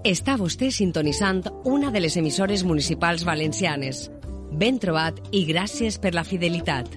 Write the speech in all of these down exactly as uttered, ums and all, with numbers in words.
Està vostè sintonitzant una de les emissores municipals valencianes. Ben trobat i gràcies per la fidelitat.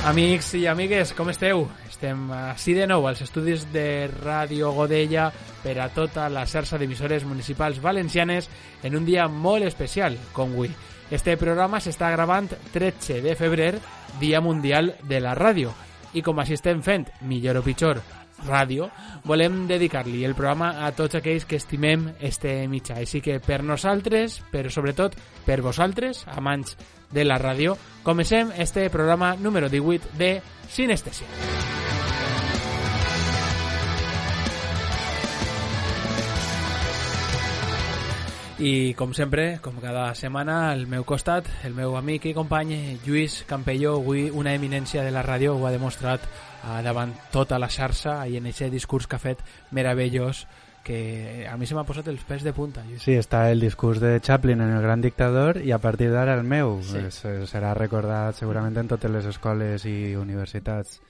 Amics i amigues, com esteu? Estem així de nou als estudis de Ràdio Godella per a tota la xarxa d'emissores municipals valencianes en un dia molt especial, com avui. Este programa s'està gravant tretze de febrer, Dia Mundial de la Ràdio. I com així estem fent, millor o pitjor, ràdio, volem dedicar-li el programa a tots aquells que estimem este mitjà. Així que per nosaltres, però sobretot per vosaltres, amants de la ràdio, comencem este programa número divuit de Sinestèsia. I com sempre, com cada setmana, al meu costat, el meu amic i company Lluís Campelló, avui una eminència de la ràdio, ho ha demostrat uh, davant tota la xarxa i en aquest discurs que ha fet meravellós, que a mi se m'ha posat els pèls de punta. Lluís. Sí, està el discurs de Chaplin en El gran dictador i a partir d'ara el meu. Sí. Serà recordat segurament en totes les escoles i universitats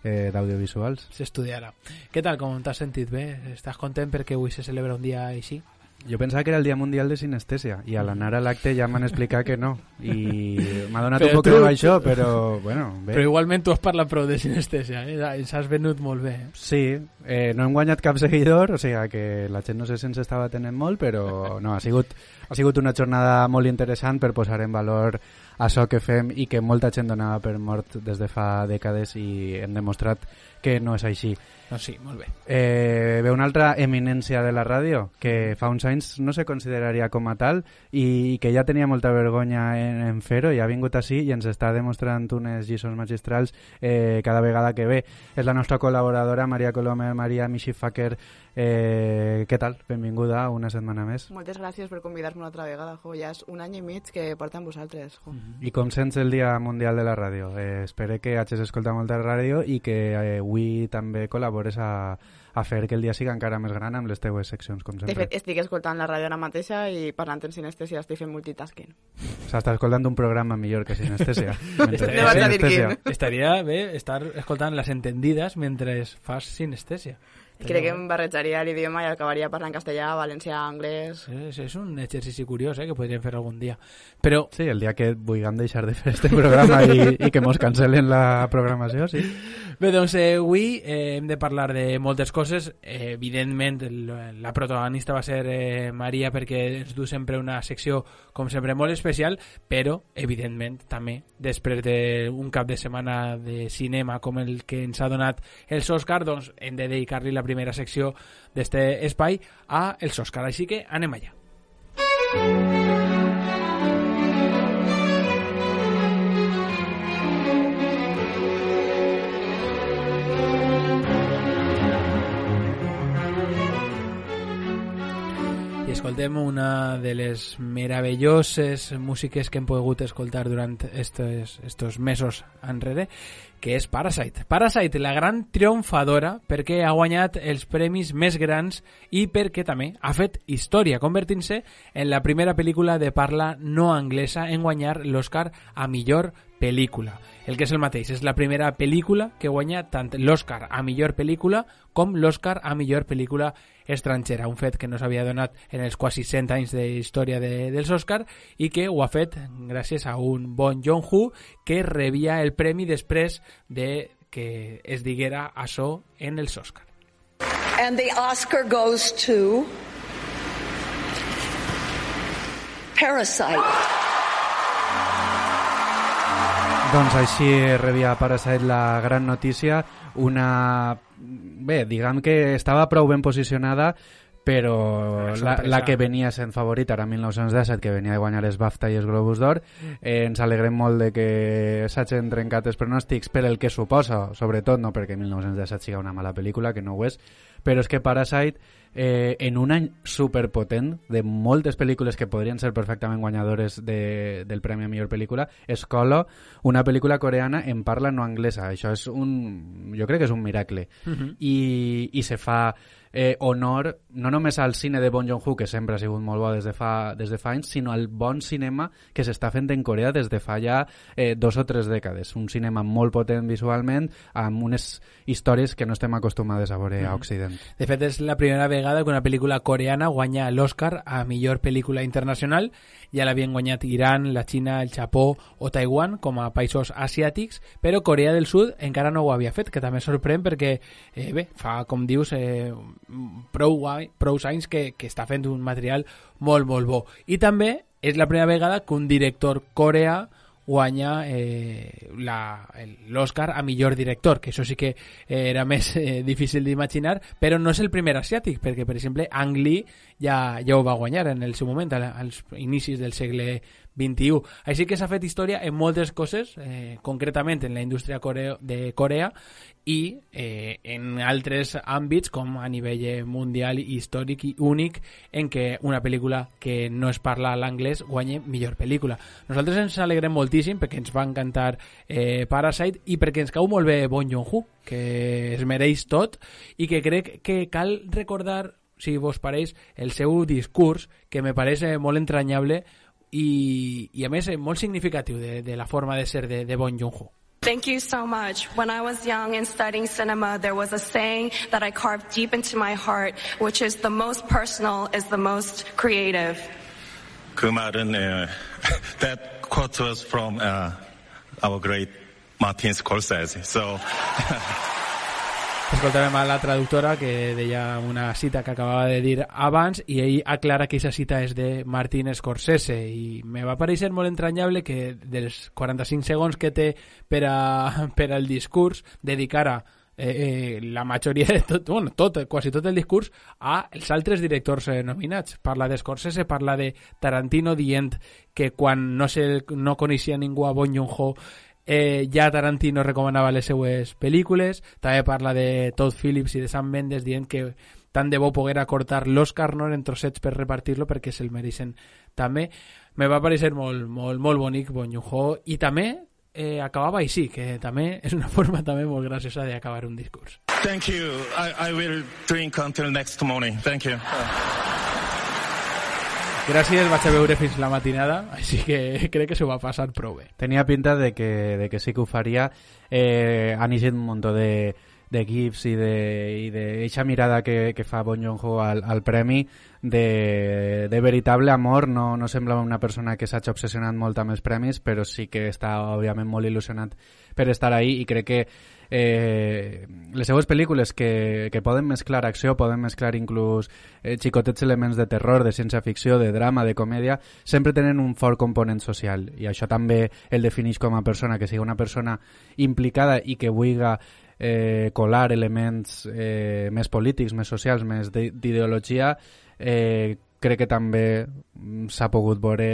eh, d'audiovisuals. S'estudiarà. Què tal, com t'has sentit? Bé? Estàs content perquè avui se celebra un dia així? Jo pensava que era el Dia Mundial de Sinestèsia i a l'anar a l'acte ja m'han explicat que no i m'ha donat però un poc tu... de això, però bueno, bé. Però igualment tu has parlat prou de sinestèsia, eh? Ens has venut molt bé. Eh? Sí, eh, no hem guanyat cap seguidor, o sigui que la gent no sé si ens estava tenint molt, però no, ha sigut, ha sigut una jornada molt interessant per posar en valor això que fem i que molta gent donava per mort des de fa dècades i hem demostrat que no és així. Doncs sí, molt bé. Eh, ve una altra eminència de la ràdio que fa uns anys no se consideraria com a tal i que ja tenia molta vergonya en, en fer-ho i ha vingut així i ens està demostrant unes lliçons magistrals eh, cada vegada que ve. És la nostra col·laboradora Maria Colomer, Maria Michifaker. Eh, què tal? Benvinguda una setmana més. Moltes gràcies per convidar-me una altra vegada, jo. Ja és un any i mig que porta amb vosaltres, jo. Mm-hmm. I com sents el Dia Mundial de la Ràdio? Eh, espero que hagis escoltat molta ràdio i que eh, avui també col·labores a, a fer que el dia siga encara més gran amb les teues seccions, com sempre. De fet, estic escoltant la ràdio ara mateixa i parlant en sinestèsia estic fent multitasking. S'està escoltant un programa millor que sinestèsia. No vas a dir quin. Estaria bé estar escoltant les entendides mentre fas sinestèsia. Crec que em barrejaria l'idioma i acabaria parlant castellà, valencià, anglès... És, és un exercici curiós, eh, que podríem fer algun dia. Però... Sí, el dia que vulguem deixar de fer este programa i, i que mos cancel·len la programació, sí. Bé, doncs eh, avui eh, hem de parlar de moltes coses. Eh, evidentment, el, la protagonista va ser eh, Maria perquè ens du sempre una secció, com sempre, molt especial, però, evidentment, també, després d'un cap de setmana de cinema com el que ens ha donat els Òscar, doncs hem de dedicar-li la primera secció d'este espai a els Òscar, així que anem allà. I escoltem una de les meravelloses músiques que hem pogut escoltar durant estos, estos mesos enrere, que és Parasite. Parasite, la gran triomfadora perquè ha guanyat els premis més grans i perquè també ha fet història, convertint-se en la primera pel·lícula de parla no anglesa en guanyar l'Oscar a millor pel·lícula. El que és el mateix, és la primera pel·lícula que guanya tant l'Oscar a millor pel·lícula com l'Oscar a millor pel·lícula estrangera, un fet que no s'havia donat en els quasi cent anys de història de, dels Òscar i que ho ha fet gràcies a un bon Joon-ho que rebia el premi després de que es diguera això en els Òscar. And the Oscar goes to Parasite. Doncs així rebia Parasite la gran notícia, una... Bé, diguem que estava prou ben posicionada però la, la que venia sent favorita era mil nou-cents disset, que venia de guanyar els BAFTA i els Globus d'Or. Eh, ens alegrem molt de que s'hagin trencat els pronòstics per el que suposa, sobretot no perquè mil nou-cents disset sigui una mala pel·lícula, que no ho és, però és que Parasite, eh, en un any superpotent de moltes pel·lícules que podrien ser perfectament guanyadores de, del Premi a Millor Pel·lícula, es cola una pel·lícula coreana en parla no anglesa. Això és un... jo crec que és un miracle. Uh-huh. I, i se fa eh, honor no només al cine de Bong Joon-ho, que sempre ha sigut molt bo des de fa, des de fa anys, sinó al bon cinema que s'està fent en Corea des de fa ja eh, dos o tres dècades. Un cinema molt potent visualment, amb unes històries que no estem acostumades a veure mm. a Occident. De fet, és la primera vegada que una pel·lícula coreana guanya l'Oscar a millor pel·lícula internacional. Ja l'havien guanyat Iran, la Xina, el Japó o Taiwan com a països asiàtics, però Corea del Sud encara no ho havia fet, que també sorprèn perquè, eh, bé, fa, com dius, eh, prou, prou anys que, que està fent un material molt, molt bo. I també és la primera vegada que un director coreà guanya eh, l'Oscar a millor director, que això sí que eh, era més eh, difícil d'imaginar, però no és el primer asiàtic, perquè, per exemple, Ang Lee ja, ja ho va guanyar en el seu moment, als inicis del segle vint-i-u. Així que s'ha fet història en moltes coses, eh, concretament en la indústria coreo, de Corea, i eh, en altres àmbits com a nivell mundial i històric i únic, en què una pel·lícula que no es parla l'anglès guanya millor pel·lícula. Nosaltres ens alegrem moltíssim perquè ens va encantar eh, Parasite i perquè ens cau molt bé Bong Joon-ho, que es mereix tot i que crec que cal recordar, si vos pareix, el seu discurs, que me pareix molt entranyable i, i a més molt significatiu de, de la forma de ser de, de Bong Joon-ho. Thank you so much. When I was young and studying cinema, there was a saying that I carved deep into my heart, which is the most personal is the most creative. 그 말은 uh, that quote was from uh, our great Martin Scorsese. So Escoltàvem a la traductora que deia una cita que acabava de dir abans i ell aclara que aquesta cita és de Martin Scorsese i me va pareixer molt entranyable que dels quaranta-cinc segons que té per, a, per al discurs dedicara eh, eh, la majoria de tot, bueno, tot, quasi tot el discurs a els altres directors eh, nominats. Parla de Scorsese, parla de Tarantino dient que quan no, se, no coneixia ningú a Bong Joon-ho Eh, ja Tarantino recomanava les seues pel·lícules. També parla de Todd Phillips i de Sam Mendes dient que tant de bo poguera cortar l'Oscar, no, en trossets per repartir-lo perquè se'l mereixen també. Me va pareixer molt, molt, molt bonic Bong Joon-ho i també eh, acabava així, que també és una forma també molt graciosa d'acabar un discurs. Thank you. I, I will drink until next morning. Thank you. Gràcies, vaig a veure fins la matinada, així que crec que s'ho va passar prou bé. Tenia pinta de que, de que sí que ho faria. Eh, han eixit un munt de, de gifs i de, i de eixa mirada que, que fa Bong Joon-ho al, al premi de, de veritable amor. No, no sembla una persona que s'hagi obsessionat molt amb els premis, però sí que està, òbviament, molt il·lusionat per estar ahí i crec que Eh, les seues pel·lícules que, que poden mesclar acció, poden mesclar inclús eh, xicotets elements de terror, de ciència-ficció, de drama, de comèdia, sempre tenen un fort component social i això també el defineix com a persona, que sigui una persona implicada i que vulga eh, colar elements eh, més polítics, més socials, més d'ideologia. eh, crec que també s'ha pogut veure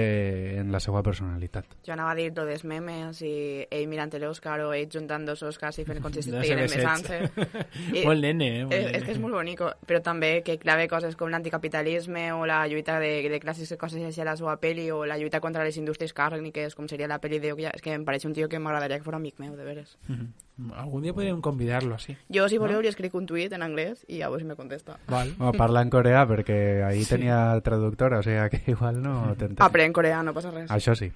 en la seva personalitat. Jo anava a dir lo dels memes i ell mirant l'Òscar o ell juntant dos Òscars i fent com si estiguin besant-se. Molt nene, eh? Molt és, nene. és que és molt bonic, però també que clave coses com l'anticapitalisme o la lluita de, de classes, coses així a la seva pel·li, o la lluita contra les indústries càrniques, com seria la pel·li de... És que em pareix un tio que m'agradaria que fos amic meu, de veres. Mm-hmm. Algun dia podríem convidar-lo, así. Jo, si voleu, ¿no? li escric un tuit en anglès i a veure si me contesta. Val. O parla en coreà, perquè ahí Sí. tenia traductora, o sigui que igual no t'entens. Aprèn coreà, no passa res. Això sí.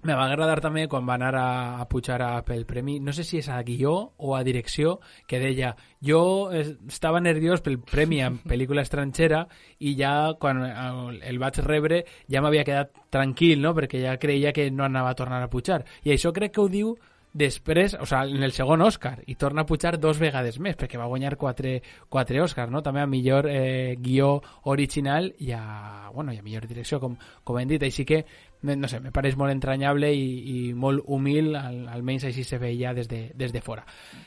Me va agradar també quan va anar a, a pujar a, pel premi, no sé si és a guió o a direcció, que deia, jo estava nerviós pel premi en pel·lícula estrangera i ja quan el vaig rebre ja m'havia quedat tranquil, no? Perquè ja creia que no anava a tornar a pujar. I això crec que ho diu després, o sigui, en el segon Òscar, i torna a pujar dos vegades més, perquè va guanyar quatre, quatre Òscars, no? També a millor eh, guió original i a, bueno, i a millor direcció, com, com hem dit. Així que no sé, me pareix molt entranyable i, i molt humil, al, almenys així se veia des de, des de fora.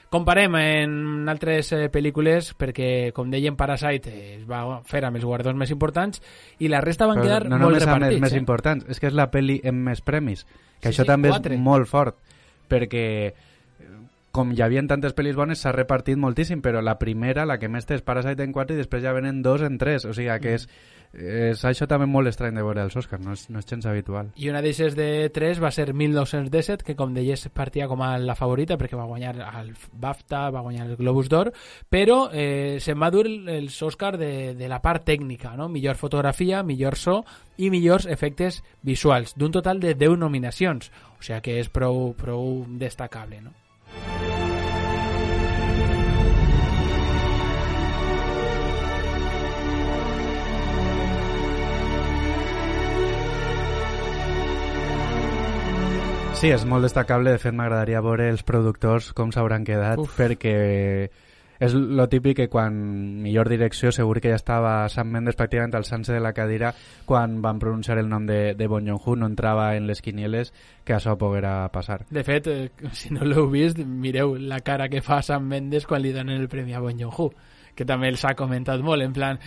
Comparem en altres eh, pel·lícules, perquè, com dèiem, Parasite eh, es va fer amb els guardons més importants i la resta van Però quedar no molt repartits. No només repartits. més eh? importants, és que és la pel·li amb més premis, que Sí, això sí, també quatre. és molt fort, perquè com hi havia tantes pel·lis bones s'ha repartit moltíssim, però la primera, la que més té és Parasite en quatre i després ja venen dos en tres, o sigui que és, és això també molt estrany de veure els Oscars, no és, no és gens habitual. I una d'eixes de tres va ser mil nou-cents disset, que com deies partia com a la favorita perquè va guanyar el BAFTA, va guanyar el Globus d'Or, però eh, se'n va dur els Oscars de, de la part tècnica, no? Millor fotografia, millor so i millors efectes visuals, d'un total de deu nominacions, o sigui que és prou, prou destacable, no? Sí, és molt destacable. De fet, m'agradaria veure els productors com s'hauran quedat, Uf. perquè és lo típic que quan millor direcció segur que ja estava Sam Mendes pràcticament alçant-se de la cadira quan van pronunciar el nom de, de Bong Joon-ho, no entrava en les quinieles que això poguera passar. De fet, eh, si no l'heu vist, mireu la cara que fa Sam Mendes quan li donen el premi a Bong Joon-ho, que també els ha comentat molt, en plan,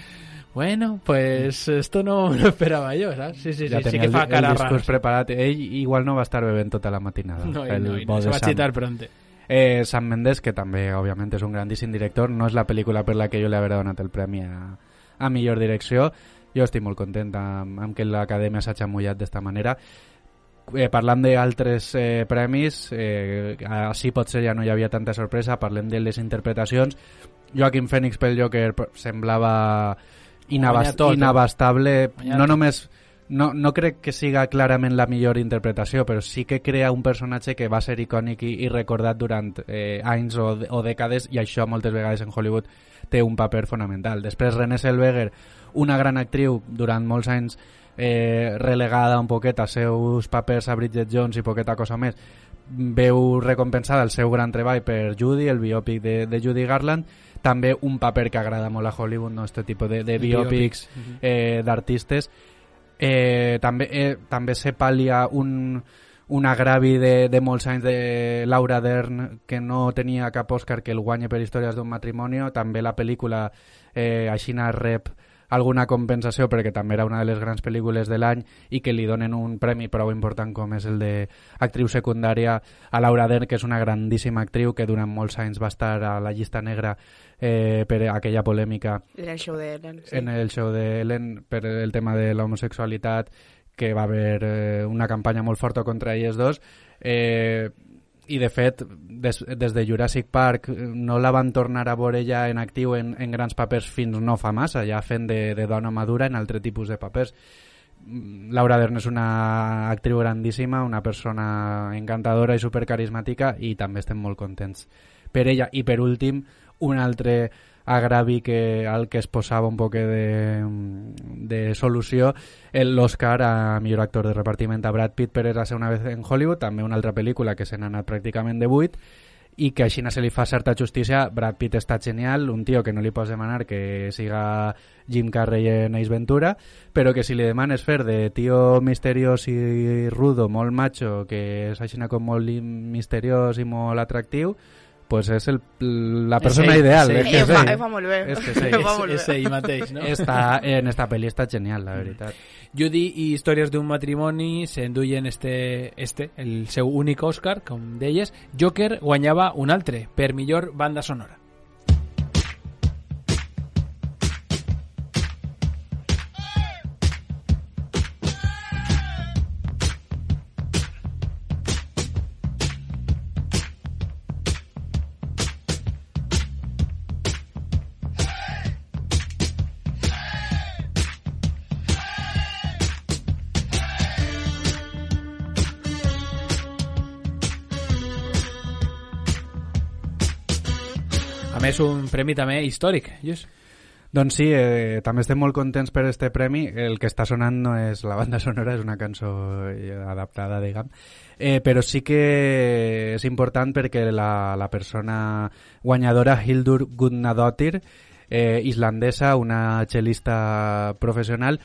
bueno, pues esto no me lo esperaba yo, ¿sabes? Sí, sí, sí, Ja sí tenia que el, fa el cara discurs rara. preparat. Ell igual no va estar bevent tota la matinada. No, el no, i bo no, se de va Sam. xitar pronte. Eh, Sam Mendes, que també, òbviament, és un grandíssim director, no és la pel·lícula per la que jo li hauré donat el premi a, a millor direcció. Jo estic molt content amb, amb que l'Acadèmia s'hagi mullat d'esta manera. Eh, parlant d'altres eh, premis, eh, així potser ja no hi havia tanta sorpresa, parlem de les interpretacions. Joaquin Phoenix pel Joker semblava inabast tot, inabastable, eh? no només... No, no crec que siga clarament la millor interpretació, però sí que crea un personatge que va ser icònic i, i recordat durant eh, anys o, o dècades, i això moltes vegades en Hollywood té un paper fonamental. Després Renée Zellweger, una gran actriu durant molts anys eh, relegada un poquet a seus papers a Bridget Jones i poqueta cosa més, veu recompensada el seu gran treball per Judy, el biòpic de, de Judy Garland, també un paper que agrada molt a Hollywood, no? Este tipus de, de biòpics eh, d'artistes. Eh, també eh, també se pal·lia un, un agravi de, de molts anys de Laura Dern, que no tenia cap Òscar que el guanye per Històries d'un matrimoni. També la pel·lícula eh, aixina rep alguna compensació perquè també era una de les grans pel·lícules de l'any i que li donen un premi prou important com és el d'actriu secundària a Laura Dern, que és una grandíssima actriu que durant molts anys va estar a la llista negra eh, per aquella polèmica En el show de Ellen. Sí. en el show de Ellen per el tema de l'homosexualitat, que va haver eh, una campanya molt forta contra ells dos. Eh, i de fet des, des de Jurassic Park no la van tornar a veure ja en actiu en, en grans papers fins no fa massa, ja fent de, de dona madura en altre tipus de papers. Laura Dern és una actriu grandíssima, una persona encantadora i supercarismàtica, i també estem molt contents per ella. I per últim, un altre agravi que, al que es posava un poc de, de solució, l'Oscar a millor actor de repartiment a Brad Pitt per Érase una vez en Hollywood, també una altra pel·lícula que se n'ha anat pràcticament de vuit i que així se li fa certa justícia. Brad Pitt està genial, un tio que no li pots demanar que siga Jim Carrey en Ace Ventura, però que si li demanes fer de tio misteriós i rudo, molt macho, que és així com molt misteriós i molt atractiu, pues és el, la persona ell, ideal. és És que Ell és fa, ell. ell fa molt bé. És que és ell. Ell fa molt És, és bé. ell mateix, no? Està, en esta pel·li està genial, la veritat. Judy i Històries d'un matrimoni s'enduien este, este, el seu únic Òscar, com deies. Joker guanyava un altre, per millor banda sonora. A més, un premi també històric, Lluís. Doncs sí, eh, també estem molt contents per este premi. El que està sonant no és la banda sonora, és una cançó eh, adaptada, diguem. Eh, però sí que és important perquè la, la persona guanyadora, Hildur Guðnadóttir, eh, islandesa, una cel·lista professional,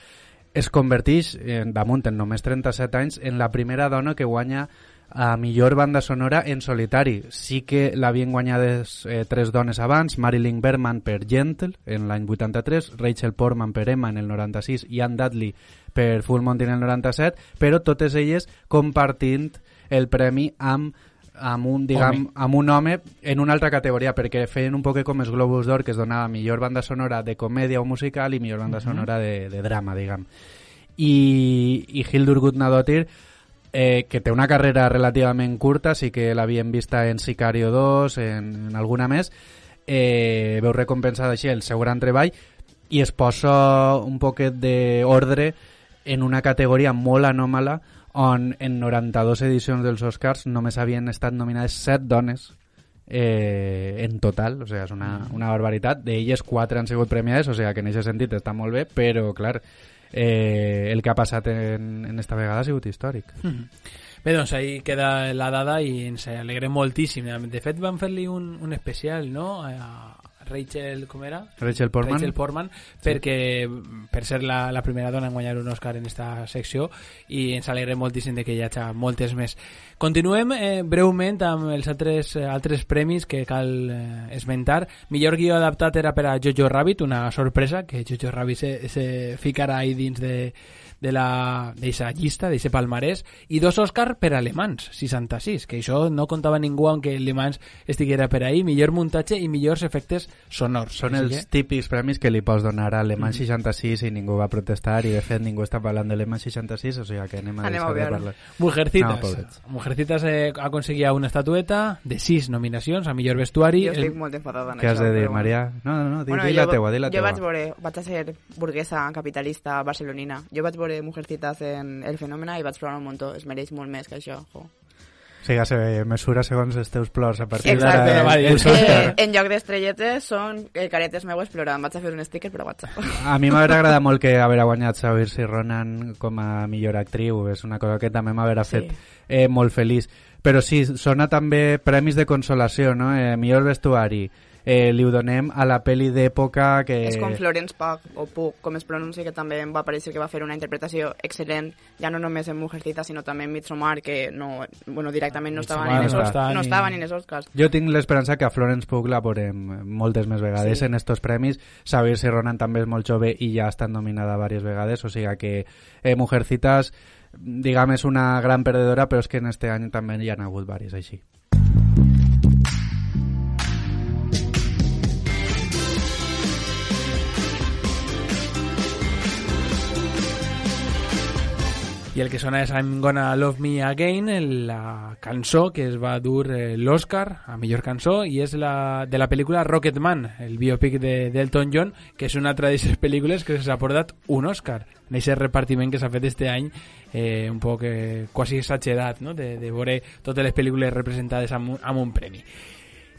es converteix, en, damunt en només trenta-set anys, en la primera dona que guanya a millor banda sonora en solitari. Sí que l'havien guanyades eh, tres dones abans, Marilyn Berman per Gentle en l'any vuitanta-tres, Rachel Portman per Emma en el noranta-sis i Anne Dudley per Full Monty en el noranta-set, però totes elles compartint el premi amb amb un, diguem, home. amb un home en una altra categoria, perquè feien un poc com els Globus d'Or, que es donava millor banda sonora de comèdia o musical i millor banda uh-huh. sonora de, de drama, diguem. I, i Hildur Gudnadottir, eh, que té una carrera relativament curta, sí que l'havien vista en Sicario dos, en, en alguna més, eh, veu recompensada així el seu gran treball i es posa un poquet d'ordre en una categoria molt anòmala on en noranta-dos edicions dels Oscars només havien estat nominades set dones eh, en total, o sigui, és una, una barbaritat. D'elles quatre han sigut premiades, o sigui que en aquest sentit està molt bé, però clar, eh, el que ha passat en, en esta vegada ha sigut històric. Mm-hmm. Bé, doncs ahí queda la dada i ens alegrem moltíssim. De fet van fer-li un, un especial, no?, a Rachel, com era? Rachel Portman. Rachel Portman, sí. perquè per ser la, la primera dona en guanyar un Oscar en esta secció, i ens alegrem moltíssim de que hi hagi moltes més. Continuem eh, breument amb els altres, eh, altres premis que cal eh, esmentar. Millor guió adaptat era per a Jojo Rabbit, una sorpresa, que Jojo Rabbit se, se ficarà ahí dins de de la d'eixa llista, d'eixe palmarès, i dos Òscar per a Le Mans, seixanta-sis, que això no contava ningú aunque Le Mans estiguera per ahí, millor muntatge i millors efectes sonors. Són els que... típics premis que li pots donar a Le Mans mm. seixanta-sis i ningú va protestar, i de fet ningú està parlant de Le Mans seixanta-sis, o sigui que anem a anem deixar de parlar. Mujercitas. No, Mujercitas eh, aconseguia una estatueta de sis nominacions a millor vestuari. Jo estic el... molt enfadada en Què això. has de dir, bueno. Maria? No, no, no, di, bueno, di la jo, teua, di la jo teua. vaig veure, vaig a ser burguesa capitalista barcelonina. Jo vaig veure Mujercitas en El Fenómeno i vaig plorar un muntó. Es mereix molt més que això. Jo. O sigui, se mesura segons els teus plors a partir Exacte. d'ara. Eh, eh, en lloc d'estrelletes són eh, caretes meues plorant. Vaig a fer un sticker, però vaig a... A mi m'haurà agradat molt que haver guanyat Saoirse Ronan com a millor actriu. És una cosa que també m'haurà sí. fet eh, molt feliç. Però sí, sona també premis de consolació, no? Eh, millor vestuari. Eh, li ho donem a la pel·li d'època que... És com Florence Pugh, o Pugh, com es pronuncia, que també em va parèixer que va fer una interpretació excel·lent, ja no només en Mujercita, sinó també en Midsommar, que no, bueno, directament no estava, ni, no està, no estava ni en els Oscars. Jo tinc l'esperança que a Florence Pugh la veurem moltes més vegades sí. en estos premis. Saoirse Ronan també és molt jove i ja ha estat nominada diverses vegades, o sigui que eh, Mujercitas, diguem, és una gran perdedora, però és que en este any també hi ha hagut diverses així. I el que sona és I'm Gonna Love Me Again, la cançó que es va dur eh, l'Oscar a millor cançó, i és la, de la pel·lícula Rocketman, el biopic de, d'Elton John, que és una altra d'aquestes pel·lícules que s'ha portat un Oscar en aquest repartiment que s'ha fet este any, eh, un poc eh, quasi exagerat, no? de, de veure totes les pel·lícules representades amb un, amb un premi.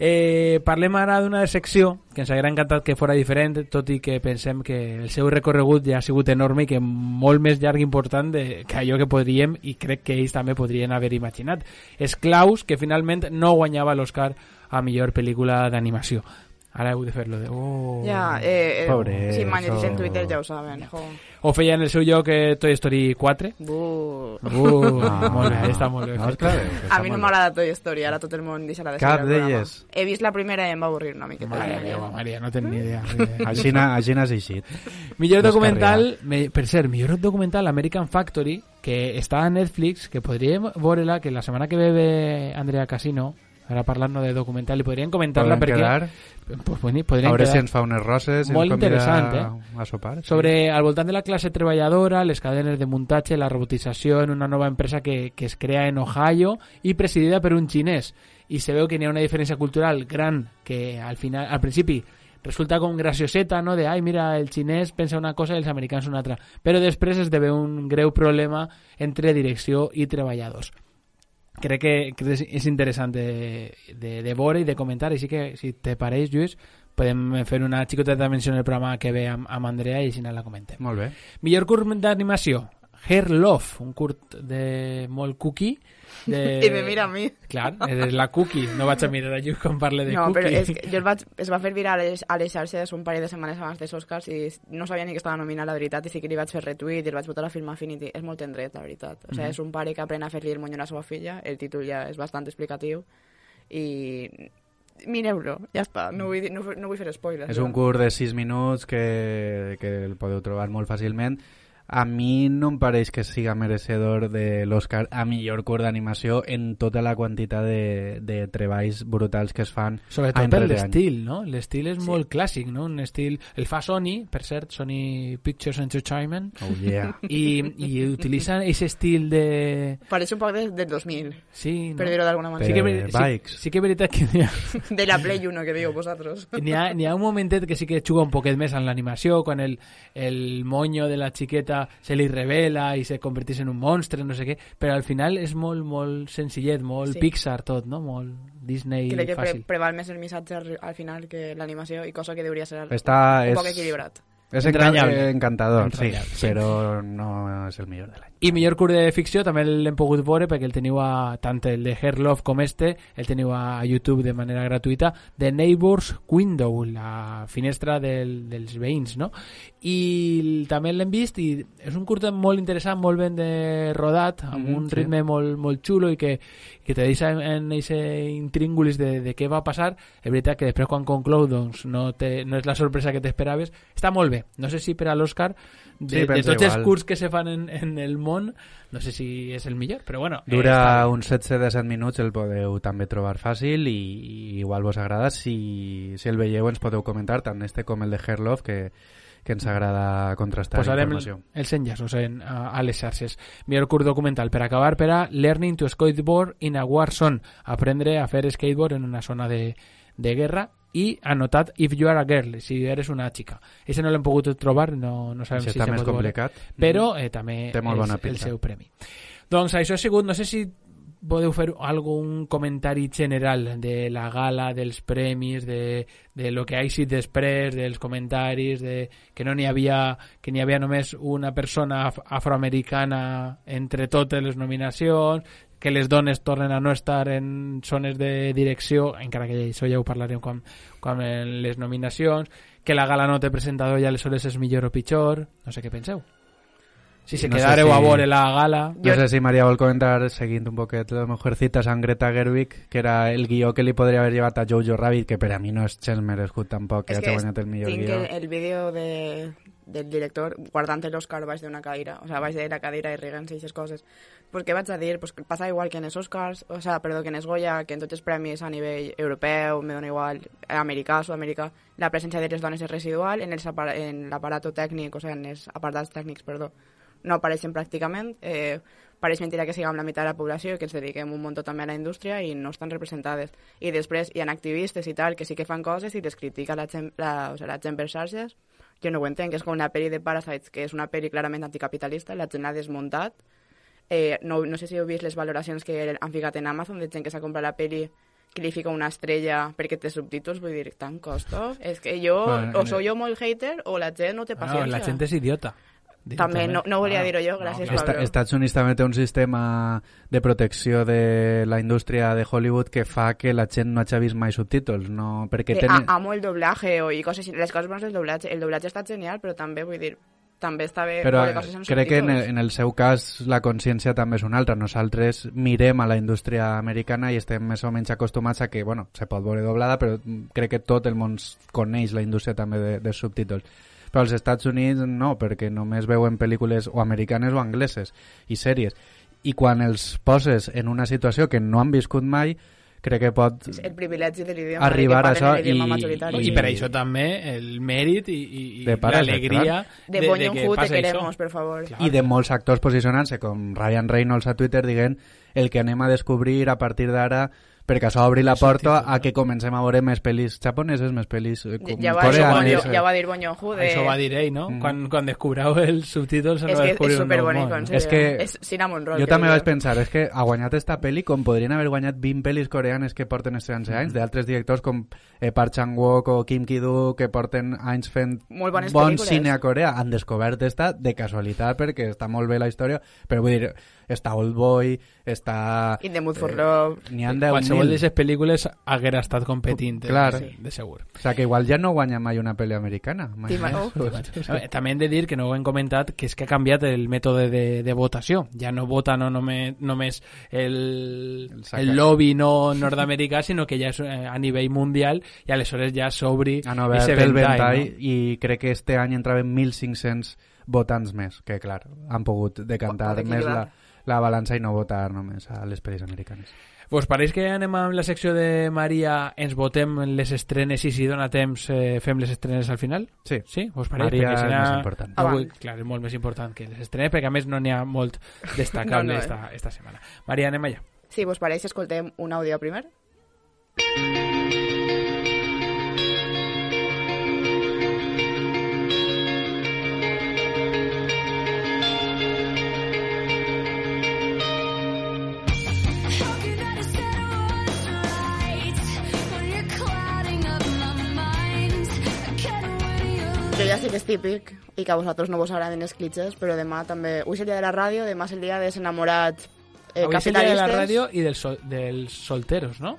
Eh, parlem ara d'una secció que ens hauria encantat que fora diferent, tot i que pensem que el seu recorregut ja ha sigut enorme i que molt més llarg i important de, que allò que podríem, i crec que ells també podrien haver imaginat. És Klaus, que finalment no guanyava l'Oscar a millor pel·lícula d'animació. Ara heu de fer-lo de... Oh, ja, eh, eh, pobre, si m'han llegit en eso... Twitter ja ho saben. Jo. O feia en el seu lloc eh, Toy Story quatre. Buh. Uh, ah, molt bé, està molt bé. No, clar, a mi no m'agrada Toy Story, ara tot el món deixarà de ser cap d'elles. He vist la primera i em va avorrir una miqueta. Maria, meva, Maria, no tenc ni idea. Així n'has eixit. Millor documental, me, per cert, millor documental American Factory, que està a Netflix, que podríem veure-la, que la setmana que ve ve Andrea Casino, ara parlant de documental, i podrien comentar-la perquè... Quedar? Pues, podrien a veure quedar. Si ens fa unes roses i molt ens convida interessant, eh? a sopar. Sí. Sobre, al voltant de la classe treballadora, les cadenes de muntatge, la robotització en una nova empresa que, que es crea en Ohio i presidida per un xinès. I se veu que hi ha una diferència cultural gran que al final, al principi resulta com gracioseta, no? De, ai, mira, el xinès pensa una cosa i els americans una altra. Però després es deve un greu problema entre direcció i treballadors. Crec que, que és interessant de, de, de veure i de comentar, així que si te pareix, Lluís, podem fer una xicoteta menció en el programa que ve amb, amb Andrea i així la comentem. Molt bé. Millor curt d'animació, Hair Love, un curt de molt cookie. De... I me mira a mi. Clar, eres la cookie. No vaig a mirar a Lluc quan parle de no, cookie. No, però és que jo el vaig, es va fer viral a les, a les xarxes un parell de setmanes abans dels Oscars i no sabia ni que estava nominat, la veritat, i sí que li vaig fer retweet i el vaig votar a Film Affinity. És molt tendret, la veritat. O sigui, mm-hmm. és un pare que aprèn a fer-li el monyo a la seva filla, el títol ja és bastant explicatiu i... mireu-lo, ja està, no vull, no, no vull fer spoilers. És un curt de sis minuts que, que el podeu trobar molt fàcilment. A mi no em pareix que siga merecedor de l'Oscar a millor curt d'animació en tota la quantitat de, de treballs brutals que es fan. Sobretot per l'estil, no? L'estil és sí. molt clàssic, no? Un estil... El fa Sony, per cert, Sony Pictures Entertainment. Oh, yeah. I, i utilitzen aquest estil de... Pareix un poc de, del dos mil. Sí, no? Per dir-ho d'alguna manera. Sí que, sí, sí que és veritat que n'hi ha... De la Play uno, que diu vosaltres. N'hi ha, n'hi ha un momentet que sí que juga un poquet més en l'animació, quan el, el moño de la xiqueta se li revela i se converteix en un monstre, no sé què, però al final és molt, molt senzillet, molt sí. Pixar tot, no? Molt Disney Crec que fàcil. Pre preval més el missatge al final que l'animació i cosa que hauria ser Està, un és... poc equilibrat. És encantador, encantador sí, sí, però no és el millor de l'any. I millor curt de ficció també l'hem pogut veure perquè el teniu a, tant el de Hair Love com este, el teniu a YouTube de manera gratuïta, The Neighbor's Window, la finestra del, dels veïns, no? I també l'hem vist i és un curt molt interessant, molt ben de rodat, amb mm, un sí. ritme molt, molt xulo i que, que te deixa en aquest intríngulis de, de què va passar. És veritat que després quan conclou doncs, no, te, no és la sorpresa que t'esperaves. Està molt bé. No sé si per a l'Òscar de, sí, de tots igual. Els curts que se fan en, en el món, no sé si és el millor, però bueno. Dura eh, uns setze a disset minuts, el podeu també trobar fàcil i, i igual vos agrada. Si, si el veieu ens podeu comentar tant este com el de Hair Love, que, que ens agrada contrastar posarem informació. Posarem els enllaços en, a, a les xarxes. Millor curt documental per acabar per a Learning to Skateboard in a War Zone, aprendre a fer skateboard en una zona de, de guerra. I anotat If You Are a Girl, si eres una xica. Ese no l'hem pogut trobar, no, no sabem si se pot complicat. veure, però eh, també és el seu premi. Doncs això ha sigut, no sé si podeu fer algun comentari general de la gala, dels premis, de, de lo que ha sigut després, dels comentaris, de que no n'hi havia, que n'hi havia només una persona af afroamericana entre totes les nominacions, que les dones tornen a no estar en zones de direcció, encara que això ja ho parlarem quan, quan en les nominacions, que la gala no té presentador i aleshores és millor o pitjor, no sé què penseu. Si se no quedareu sé si... a veure la gala... No jo... sé si Maria vol comentar, seguint un poquet les Mujercitas amb Greta Gerwig, que era el guió que li podria haver llevat a Jojo Rabbit, que per a mi no és gens merescut tampoc, que ja t'ha guanyat el millor tinc guió. Tinc el, el vídeo de, del director guardant l'Oscar baix d'una cadira, o sea, baix de la cadira i riguent-se i aquestes coses. Pues què vaig a dir? Pues passa igual que en els Oscars, o sea, perdó, que en els Goya, que en tots els premis a nivell europeu, me dona igual, americà, sud-americà, la presència de les dones és residual, en l'aparato tècnic, o sea, en els apartats tècnics, perdó, no apareixen pràcticament, eh, pareix mentira que siguem la meitat de la població i que ens dediquem un munt també a la indústria i no estan representades. I després hi ha activistes i tal que sí que fan coses i les critica la gent, la, o sea, la gent per xarxes. Jo no ho entenc, és com una pel·li de Parasites, que és una pel·li clarament anticapitalista, la gent l'ha desmuntat. Eh, no, no sé si heu vist les valoracions que han ficat en Amazon de gent que s'ha comprat la pel·li que li fica una estrella perquè té subtítols, vull dir, tan costo. És que jo, bueno, o soy jo molt hater o la gent no té paciència. No, la gent és idiota. També, no, no volia ah, dir-ho jo, gràcies, no, Pablo. Estats Units també té un sistema de protecció de la indústria de Hollywood que fa que la gent no hagi vist mai subtítols, no? Perquè eh, ten... Amo el doblatge o i coses, les coses bones del doblatge. El doblatge està genial, però també, vull dir, també està bé però coses amb crec subtítols. que en el, en el seu cas la consciència també és una altra. Nosaltres mirem a la indústria americana i estem més o menys acostumats a que, bueno, se pot veure doblada, però crec que tot el món coneix la indústria també de, de subtítols. Però als Estats Units no, perquè només veuen pel·lícules o americanes o angleses i sèries. I quan els poses en una situació que no han viscut mai, crec que pot el privilegi de l'idioma arribar a això i, i, i per això també el mèrit i, i, i l'alegria de, de, de que passa queremos, això. Per favor. Clar. I de molts actors posicionant-se, com Ryan Reynolds a Twitter, dient el que anem a descobrir a partir d'ara perquè això obri la porta a que comencem a veure més pel·lis japoneses, més pel·lis eh, Ja va, coreanes. ja va dir Bonyohu de... Això va dir ell, no? Mm. Quan, quan descobreu els subtítols És va que descobrir és un nou superbonic, món. en sèrio. És que És cinnamon roll. Jo que també diu. vaig pensar, és que ha guanyat esta pel·li com podrien haver guanyat vint pel·lis coreanes que porten estos anys, mm. d'altres directors com eh, Park Chan-wook o Kim Ki-doo, que porten anys fent Molt bones bon pel·lícules. cine a Corea. Han descobert esta de casualitat perquè està molt bé la història, però vull dir, està Oldboy, està... In the Mood for Love. N'hi han deu Qualsevol mil. d'aquestes pel·lícules haguera estat competint, Clar. sí. de segur. O sea, que igual ja no guanya mai una pel·li americana. Mai T'ima- més. oh. A veure, també hem de dir que no ho hem comentat, que és que ha canviat el mètode de, de votació. Ja no vota no només, només el, El saca. el lobby no nord-americà, sinó que ja és eh, a nivell mundial i aleshores ja s'obri Han obert ese el ventall, ventall no? i crec que este any entraven mil cinc-cents votants més, que clar, han pogut decantar Pot més la, equilibrar. la balança i no votar només a les pel·lis americanes. Vos pareix que anem amb la secció de Maria, ens votem les estrenes i si dona temps eh, fem les estrenes al final? Sí. Sí? Vos pareix? Maria Perquè és serà... més important. Avui, Abans. clar, és molt més important que les estrenes, perquè a més no n'hi ha molt destacable No, no, eh. esta, esta setmana. Maria, anem allà. Si vos pareix, escoltem un àudio primer. Jo ja sé que és típic i que a vosaltres no vos agraden els clitxes, però demà també... Avui és el dia de la ràdio, demà és el dia dels enamorats eh, Avui és el dia de capitalistes. la ràdio i dels, sol, dels solteros, no?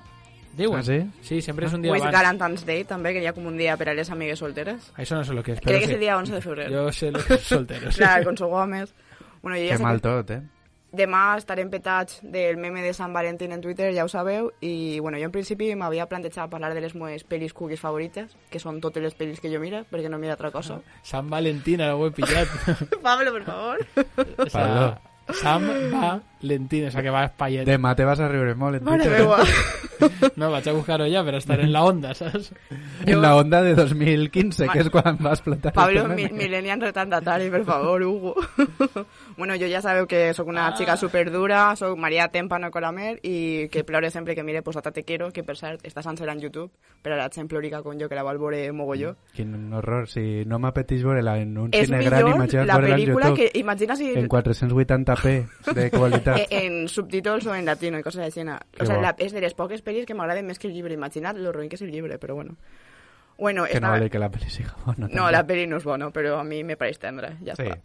Diuen. Ah, sí? Sí, sempre és un dia Avui és abans. Galantines Day, també, que hi ha com un dia per a les amigues solteres. Això no sé lo que és. Crec però que és sí. el dia onze de febrer. Jo sé lo que és solteros. Clar, con sou homes. Bueno, jo ja Que sé mal que tot, eh? demà estarem petats del meme de Sant Valentín en Twitter, ja ho sabeu, i bueno, jo en principi m'havia plantejat parlar de les meves pel·lis cookies favorites, que són totes les pel·lis que jo miro, perquè no miro altra cosa. Sant Valentín, ara ho he pillat. Pablo, per favor. O sea, Pablo. Sam Valentín, o sea que va a espallet. Demà te vas a riure molt en Mare Twitter. meua. No, vaig a buscar-ho ja per estar en la onda, saps? En la onda de dos mil quince, que és quan va explotar. Pablo, este mi, meme. millennial retardatari, per favor, Hugo. Bueno, jo ja sabeu que sóc una xica superdura, sóc Maria Témpano Colamer i que plore sempre que mire Posata Te Quiero, que per cert està sencera en YouTube, però la gent plorica con jo que la vol veure mogolló. Quin horror, si no m'apeteix veure-la en un És cine gran, millor imagina't la veure-la en pel·lícula YouTube. que... Imagina si... En quatre-cents vuitanta p de qualitat. Eh, en subtítols o en latino i coses així. Que O sea, bo. la, és de les poques pel·lis que m'agraden més que el llibre. Imagina't lo ruïn que és el llibre, però bueno. Bueno, Que no esta... vol dir que la pel·li siga bona. No, la peli no és bona, però a mi me pareix tendra, ja Sí. està.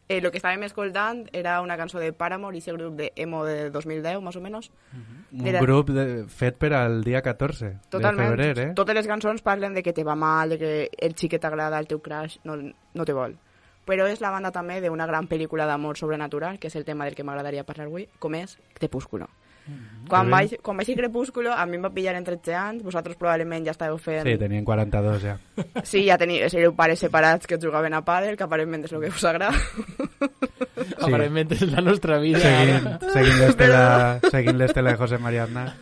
Eh, lo que estàvem escoltant era una cançó de Paramore i ese grup de emo de dos mil deu, més o menys. Un Era- grup de, fet per al dia catorze Totalment. de febrer, eh? Totes les cançons parlen de que te va mal, de que el xic que t'agrada, el teu crush, no, no te vol. Però és la banda també d'una gran pel·lícula d'amor sobrenatural, que és el tema del que m'agradaria parlar avui, com és Crepúsculo. Quan Que bé. vaig, quan vaig a Crepúsculo, a mi em va pillar en tretze anys, vosaltres probablement ja estàveu fent... Sí, tenien quaranta-dos ja. Sí, ja teniu, éreu pares separats que jugaven a pàdel, que aparentment és el que us agrada. Aparentment és la nostra vida. Seguint, seguint l'estela seguint l'estela de José María Aznar.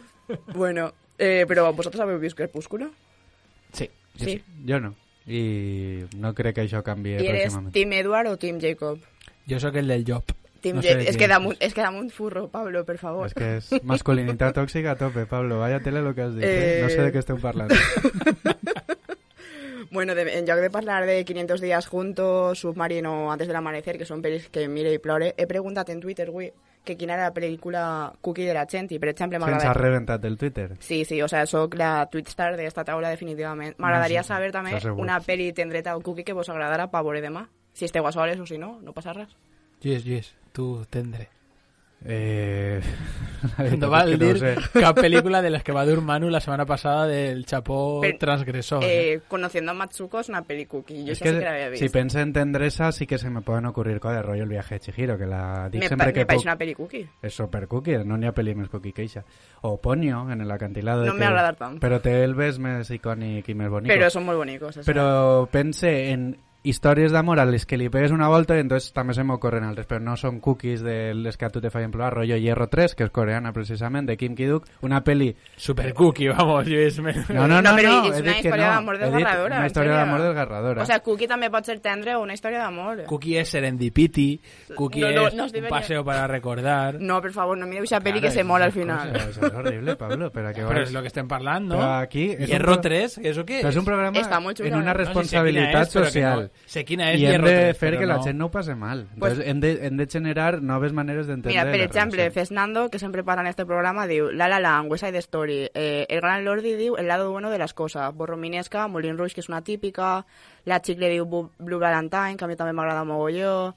Bueno, eh, però vosaltres haveu vist Crepúsculo? Sí. Jo sí. Jo no. I no crec que això canvi I eres pròximament. Team Edward o Team Jacob? Jo sóc el del Job. Team No no sé sé de és, quién que és. damunt, és que damunt furro, Pablo, per favor. És que és masculinitat tòxica a tope, Pablo. Vaya tele lo que has dit. Eh... Eh. No sé de què esteu parlant. Bueno, de, en lloc de parlar de quinientos días juntos, Submarino, Antes del amanecer, que són pel·lis que mire i plore, he preguntat en Twitter, güey, que quina era la pel·lícula cookie de la gent, i per exemple Se'ns ha m'agradaria... reventat el Twitter. Sí, sí, o sea, soc la Twitstar d'esta taula definitivament. M'agradaria No sé, saber també això segur. una pel·li tendreta o cookie que vos agradara pa veure demà. Si esteu a soles o si no, no passa res. Lluís, Lluís, tu tendre. Eh... la veritat No val és que no dir ho sé. cap pel·lícula de les que va dur Manu la setmana passada del Chapó Per- transgressor. Eh? Eh, Conociendo a Matsuko és una pel·li cookie. Jo Es això sí que que l'havia vist. si pense en tendresa sí que se me pueden ocurrir cosas, rollo El viaje de Chihiro, que la dic me, sempre pa que me pareix puc. una pel·li cookie. És super cookie, no n'hi ha pel·li més cookie que eixa. O Ponyo, en el acantilado. No que... m'ha agradat tant. Però té el bes més icònic i més bonic. Però són molt bonicos. Això. Però pense en històries d'amor a les que li pegues una volta i entonces també se m'ocorren altres, però no són cookies de les que a tu te fallen plorar, rollo Hierro tres, que és coreana precisament, de Kim Ki-duk, una peli... Super cookie, vamos, Lluís. No, no, no, no, però no, és he una dit que història no. d'amor He dit desgarradora, una en història sèrio. d'amor desgarradora. O sea, Cookie també pot ser tendre o una història d'amor. Cookie és serendipity, Cookie No, no, es no un debería- paseo para recordar. No, per favor, no mireu esa peli Claro, que se es mola al una final. Eso es horrible, Pablo, pero que Pero es lo que estén parlando. Pero aquí es un Hierro pro- tres, ¿eso qué Pero es? es un programa Està molt xulo, en una eh? No sé responsabilitat sé quina és, però que social. no- sé quina és I hem Hierro de tres, fer però que la no. gent no ho passi mal. Pues- Entonces, hem, de, hem de generar noves maneres d'entendre Mira, per les exemple, relacions. Fernando, que sempre parla en este programa, diu La La Land, West Side Story, eh, El Gran Lordi diu El lado bueno de las cosas, Borrominesca, Moulin Rouge, que és una típica, La Chicle diu Bu- Blue Valentine, que a mi també m'agrada mogolló,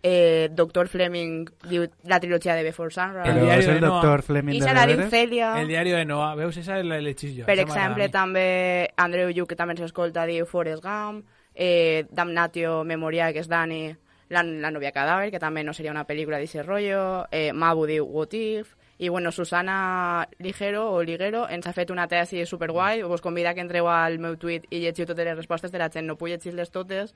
eh, Doctor Fleming diu la trilogia de Before Sunrise, El Però diari és de el Noah. doctor Fleming i de se la diu deberes? Celia. El diario de Noah, veus, esa és la de l'hechís jo. Per esa m'agrada exemple, a mi. també Andreu Yu, que també s'escolta, diu Forrest Gump, eh, Damnatio Memoriae, que és Dani, la, la novia cadàver, que també no seria una pel·lícula d'ese rotllo, eh, Mabu diu What If, i bueno, Susana Ligero o Liguero ens ha fet una tesi superguai, us convida que entreu al meu tuit i llegiu totes les respostes de la gent, no puc llegir-les totes,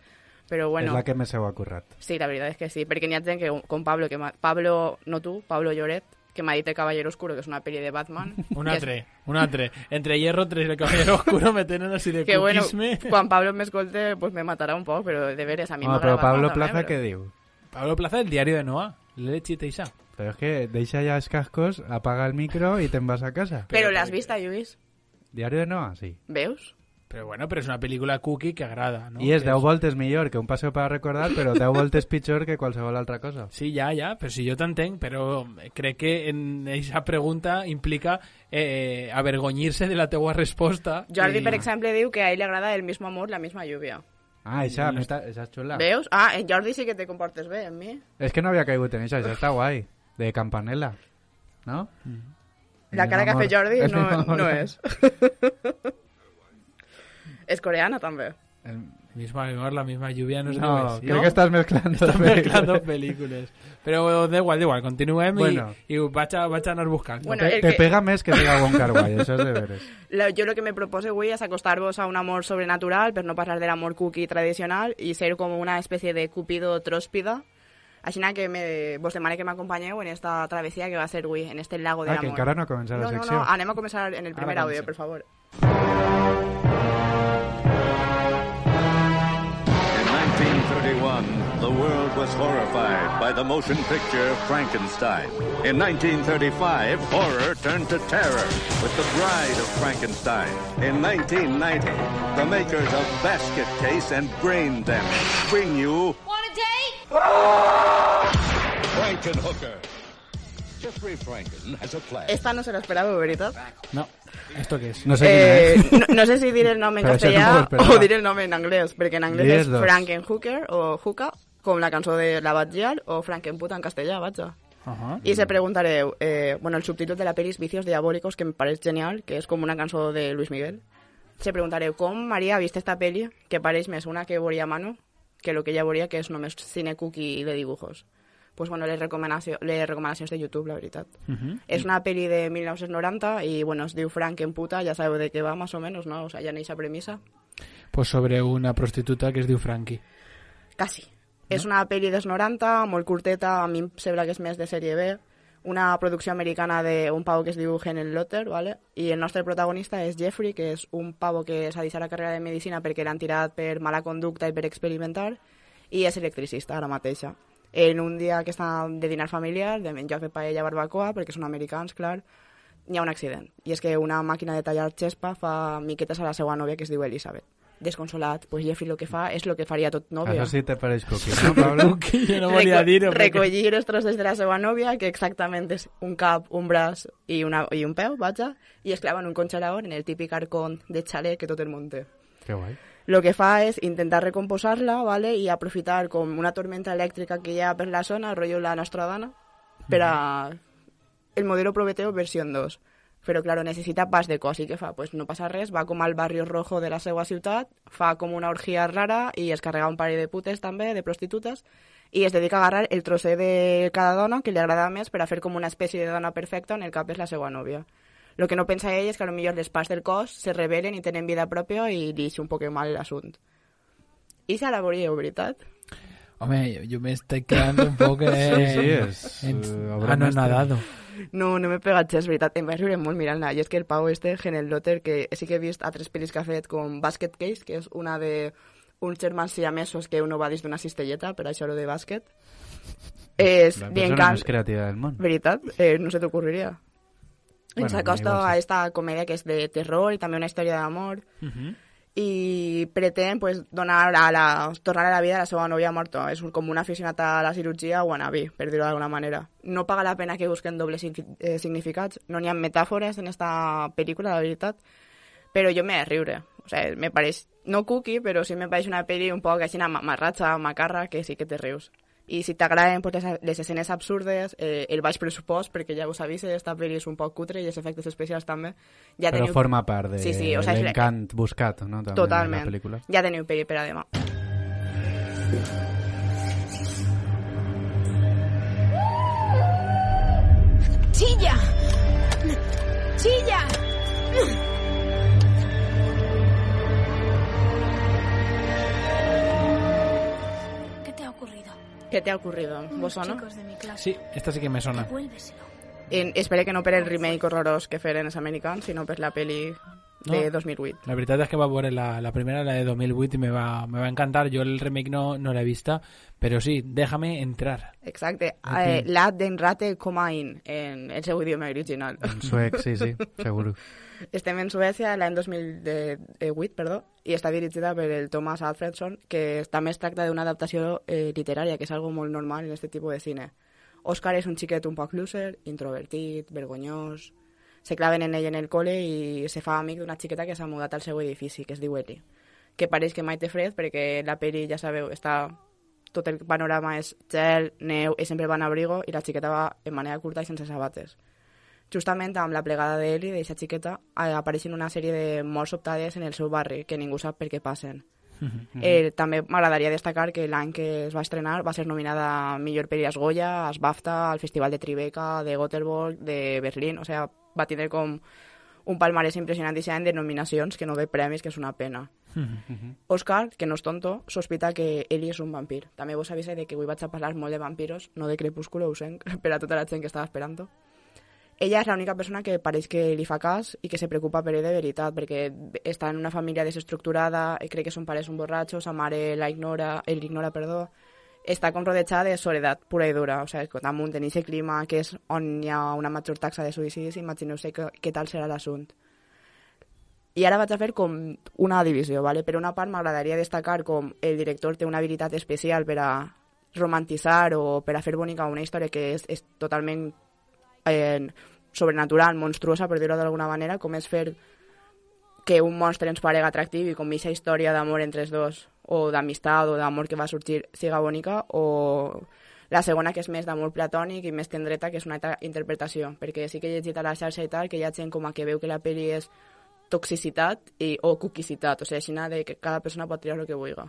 però bueno... És la que més heu currat. Sí, la veritat és que sí, perquè n'hi ha gent que, com Pablo, que m'ha- Pablo, no tu, Pablo Lloret, que m'ha dit El Caballero Oscuro, que és una pel·li de Batman. Un que és- altre, un altre. Entre Hierro tres y El Caballero Oscuro me tenen así de Que bueno, cookisme. quan Pablo m'escolte, pues me matarà un poc, però de veres, a mi Home, m'agrada però Pablo Batman Plaza també, què però- diu? Pablo Plaza, El diario de Noah. Leche Teisa. Però és que deixa ja els cascos, apaga el micro i te'n vas a casa. Però l'has vist, Lluís? Diario de Noah, sí. Veus? Pero bueno, pero es una película cookie que agrada, ¿no? I és Que deu voltes millor que un paseo para recordar, però deu voltes pitjor que qualsevol altra cosa. Sí, ya, ya, pero si yo t'entenc, pero crec que en esa pregunta implica eh, avergonyir-se de la teua resposta. Jordi, i- per exemple, diu que a ell li agrada el mismo amor, la misma lluvia. Ah, això, això és xula. Veus? Ah, en Jordi sí que te comportes bé, en mi. És que no havia caigut en això, això està guai. De Campanella, no? La cara que ha amor. fet Jordi El no, mismo amor. no és. És coreana, també. El... Mismo amor, la misma lluvia, no sé No, què és. crec que estàs mezclando. Estàs mezclando pel·lícules. Però da igual, da igual, continuem Bueno. i, i vaig, a, vaig a anar buscant. Bueno, Te, el te que- pega més que diga Wong Kar Wai, això és de veres. La, jo el que me propose avui és acostar-vos a un amor sobrenatural, per no parlar de l'amor cookie tradicional, i ser com una especie de cupido tróspida. Així que me, vos demane que m'acompanyeu en esta travesía que va a ser avui, en este lago del Ah, amor. que encara no ha començat la no, no, secció. no, anem a començar en el primer Ara àudio, comencem. per favor. In nineteen thirty-one, the world was horrified by the motion picture Frankenstein. In nineteen thirty-five, horror turned to terror with The Bride of Frankenstein. In nineteen ninety, the makers of Basket Case and Brain Damage bring you Want a date? Frankenhooker. Jeffrey Franken has a plan. Esta no se l'esperava, veritat? No, ¿esto qué es? No sé Eh, quina és. no, no sé si dir el nom en Però això no castellà m'ho esperava. o dir el nom en anglès, perquè en anglès Digues és dos. Frankenhooker o Hooka, com la cançó de la Batgial, o Frankenputa en castellà, vaja. Ajá. I se preguntareu, eh, bueno, el subtítol de la pel·li és Vicios Diabólicos, que em pareix genial, que és com una cançó de Luis Miguel. Se preguntareu, com Maria ha vist esta pel·li, que pareix més una que veuria Manu, que lo que ella veuria, que és només cine cookie de dibujos. Pues bueno, les, recomanació, les recomanacions de YouTube, la veritat. Ujú. És una pel·li de mil nou-cents noranta i, bueno, es diu Frankenputa, ja sabeu de què va, més o menys, no? O sea, ja n'hi ha premissa. Pues sobre una prostituta que es diu Frankie. Quasi. No? És una pel·li dels noranta, molt curteta, a mi em sembla que és més de sèrie B, una producció americana d'un pavo que es diu Helen Lotter, ¿vale? I el nostre protagonista és Jeffrey, que és un pavo que s'ha deixat la carrera de medicina perquè l'han tirat per mala conducta i per experimentar, i és electricista ara mateixa. En un dia que està de dinar familiar, de menjar fer paella barbacoa, perquè són americans, clar, hi ha un accident. I és que una màquina de tallar xespa fa miquetes a la seva nòvia, que es diu Elizabeth. Desconsolat, pues Jeffrey lo que fa és lo que faria tot nòvia. Això sí te pareix cookie, no, Pablo? Jo no volia dir-ho. perquè- Recollir els trossos de la seva nòvia, que exactament és un cap, un braç i, una, i un peu, vaja, i es clava en un congelador en el típic arcón de xalet que tot el món té. Que guai. Lo que fa és intentar recomposar-la, ¿vale? I aprofitar com una tormenta elèctrica que hi ha per la zona, rotllo la nostra dona, per a el modelo Prometeo versió dos. Però, claro, necessita pas de cos. I què fa? Pues no passa res, va com al barri rojo de la seva ciutat, fa com una orgia rara i es carrega un parell de putes també, de prostitutes, i es dedica a agarrar el trosser de cada dona que li agrada més per a fer com una espècie de dona perfecta en el cap és la seva nòvia. Lo que no pensa ell és que potser les parts del cos se rebel·len i tenen vida pròpia i li ix un poc mal l'assunt. I se la veuríeu, veritat? Home, jo, jo me estoy quedando un poco... Eh, sí, sí, és... En, Uh, anonadado. No, no m'he pegat gens, veritat. Em vaig riure molt mirant-la. I és que el Pau este, Genel Lotter, que sí que he vist altres pel·lis que ha fet, com Basket Case, que és una de uns germans siamesos que uno va dins d'una cistelleta, per això lo de bàsquet. És la bien persona can... més creativa del món. Veritat? Eh, no se t'ocorriria. Bueno, Ens acosta igual sí. a esta comèdia que és de terror i també una història d'amor. Uh-huh. I pretén pues, donar a la, tornar a la vida a la seva nòvia morta. És un, com un aficionat a la cirurgia wannabe, per dir-ho d'alguna manera. No paga la pena que busquen dobles eh, significats. No n'hi ha metàfores en esta pel·lícula, la veritat. Però jo m'he de riure. O sea, me pareix, no cookie, però sí me pareix una pel·li un poc així mamarratxa, macarra, que sí que te rius. I si t'agraden pues, les, les escenes absurdes, eh, el baix pressupost, perquè ja us avise, esta pel·li és un poc cutre i els efectes especials també. Ja Però teniu... forma part de sí, sí, o sea, l'encant és... buscat, no? També totalment. De la pel·lícula. Ja teniu pel·li per a demà. ¡Chilla! ¡Chilla! ¿Qué te ha ocurrido? ¿Vos o no? Sí, esta sí que me sona. En, espero que no per el remake horrorós que feren els americans, sinó per la peli de no. dos mil vuit. La veritat és que va veure la, la primera, la de dos mil vuit, i me va, me va encantar. Jo el remake no, no l'he vista, però sí, déjame entrar. Exacte. Okay. Eh, la den rate coma in, en el seu idioma original. En suec, sí, sí, seguro. Estem en Suècia l'any dos mil vuit, perdó, i està dirigida per el Thomas Alfredson, que també es tracta d'una adaptació eh, literària, que és algo molt normal en aquest tipus de cine. Òscar és un xiquet un poc loser, introvertit, vergonyós. Se claven en ell en el col·le i se fa amic d'una xiqueta que s'ha mudat al seu edifici, que es diu Ellie, que pareix que mai té fred perquè la peli, ja sabeu, està... tot el panorama és gel, neu, i sempre va en abrigo, i la xiqueta va en manera curta i sense sabates. Justament amb la plegada d'Ellie, d'aquesta xiqueta, apareixen una sèrie de morts sobtades en el seu barri, que ningú sap per què passen. Mm-hmm. Eh, també m'agradaria destacar que l'any que es va estrenar va ser nominada a millor pel·li als Goya, als BAFTA, al Festival de Tribeca, de Göteborg, de Berlín, o sea, va tindre com un palmarès impressionant de nominacions que no de premis, que és una pena. Mm-hmm. Òscar, que no és tonto, sospita que Ellie és un vampir. També vos avisa de que avui vaig a parlar molt de vampiros, no de Crepúsculo, ho sent, per a tota la gent que estava esperant. Ella és l'única persona que pareix que li fa cas i que se preocupa per ell de veritat, perquè està en una família desestructurada, crec que son pares un borratxo, sa mare la ignora, ell l'ignora, perdó, està com rodejada de soledat pura i dura, o sigui, damunt en aquest clima que és on hi ha una major taxa de suïcidis, imagineu-se que, què tal serà l'assunt. I ara vaig a fer com una divisió, ¿vale? Per una part m'agradaria destacar com el director té una habilitat especial per a romantitzar o per a fer bonica una història que és, és totalment eh, sobrenatural, monstruosa, per dir-ho d'alguna manera, com és fer que un monstre ens parega atractiu i com aquesta història d'amor entre els dos, o d'amistat o d'amor que va sorgir, siga bonica, o la segona, que és més d'amor platònic i més tendreta, que és una altra interpretació, perquè sí que he llegit a la xarxa i tal, que hi ha gent com a que veu que la pel·li és toxicitat i, o cuquicitat, o sigui, així de que cada persona pot triar el que vulgui.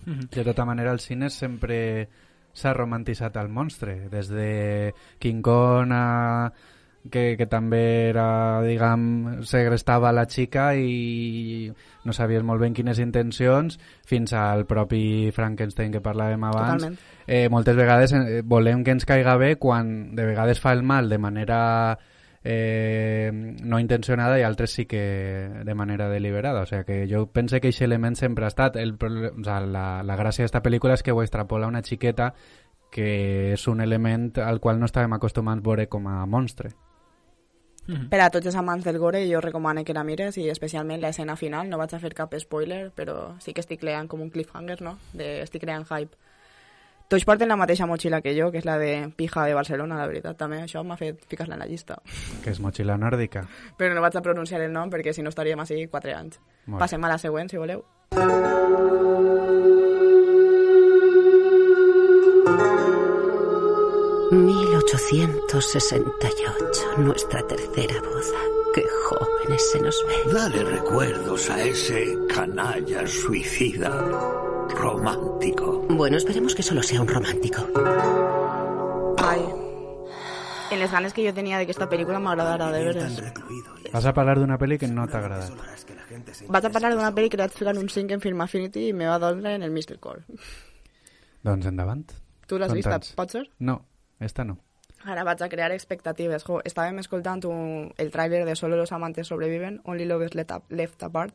De tota manera, al cine sempre s'ha romantitzat el monstre, des de King Kong a... Que, que també era, diguem, segrestava la xica i no sabies molt ben quines intencions, fins al propi Frankenstein que parlàvem abans. Totalment. Eh, moltes vegades eh, volem que ens caiga bé quan de vegades fa el mal de manera eh, no intencionada i altres sí que de manera deliberada. O sigui que jo pense que aquest element sempre ha estat. El, o sea, la, la gràcia d'esta pel·lícula és que ho extrapola una xiqueta que és un element al qual no estàvem acostumats a veure com a monstre. Mm-hmm. Per a tots els amants del gore jo recomano que la mires, i especialment l'escena final. No vaig a fer cap spoiler, però sí que estic creant com un cliffhanger, no? De, estic creant hype. Tots porten la mateixa motxilla que jo, que és la de Pija de Barcelona, la veritat. També això m'ha fet ficar-la en la llista. Que és motxilla nòrdica. Però no vaig a pronunciar el nom perquè si no estaríem així quatre anys. Molt. Passem a la següent, si voleu. mil ochocientos sesenta y ocho, nuestra tercera boda. Qué jóvenes se nos ven. Dale recuerdos a ese canalla suicida romántico. Bueno, esperemos que solo sea un romántico. Ai. En les ganes que jo tenia d'aquesta pel·lícula m'agradarà, de veres. Vas a parlar d'una pel·li que no t'ha agradat. Vaig a parlar d'una pel·li que li vaig ficar un cinc en Film Affinity i me va donar en el mister Core. Doncs endavant. Tu l'has vista, pot ser? No, esta no. Ara vaig a crear expectatives. Jo, estàvem escoltant un, el tràiler de Solo los amantes sobreviven, Only Lovers Left, left Apart,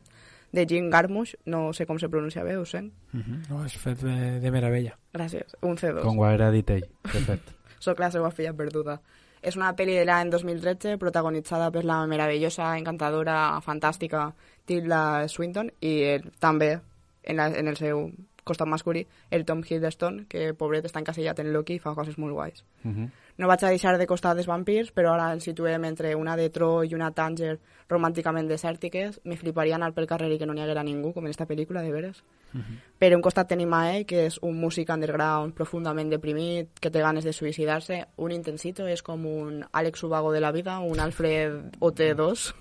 de Jim Jarmusch, no sé com se pronuncia bé, ho sent. Uh -huh. No, és fet de, de meravella. Gràcies, un C dos. Com ho era dit ell, de fet. Soc la seva filla perduda. És una pel·li de l'any dos mil tretze protagonitzada per la meravellosa, encantadora, fantàstica Tilda Swinton i el, també, en, la, en el seu costat masculí, el Tom Hiddleston, que pobret està encasillat en Loki i fa coses molt guais. Uh -huh. No vaig a deixar de costat dels vampirs, però ara ens situem entre una de Tro i una Tanger romànticament desèrtiques. Me fliparia anar pel carrer i que no n'hi haguera ningú, com en esta pel·lícula, de veres. Uh -huh. Per un costat tenim a ell, que és un músic underground profundament deprimit, que té ganes de suïcidar-se. Un intensito, és com un Àlex Ubago de la vida, un Alfred O T dos.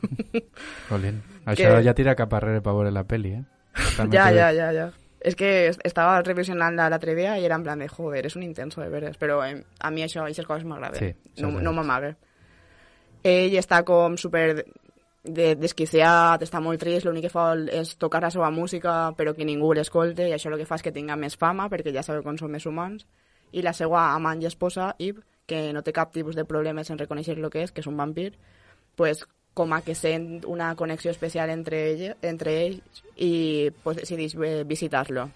Colin, això que... ja tira cap arrere per veure la pel·li, eh? També ja, ja, ja, ja. És que estava revisionant l'altre dia i era en plan de, joder, és un intenso de veres, però eh, a mi això, aquestes coses m'agraden, sí, no, no m'amague. Ell està com super de, desquiciat, està molt trist, l'únic que fa és tocar la seva música però que ningú l'escolte i això el que fa és que tinga més fama perquè ja sabeu com són més humans. I la seva amant i esposa, Eve, que no té cap tipus de problemes en reconèixer el que és, que és un vampir, pues com a que sent una connexió especial entre, ell, entre ells i pues, decideix visitar-lo.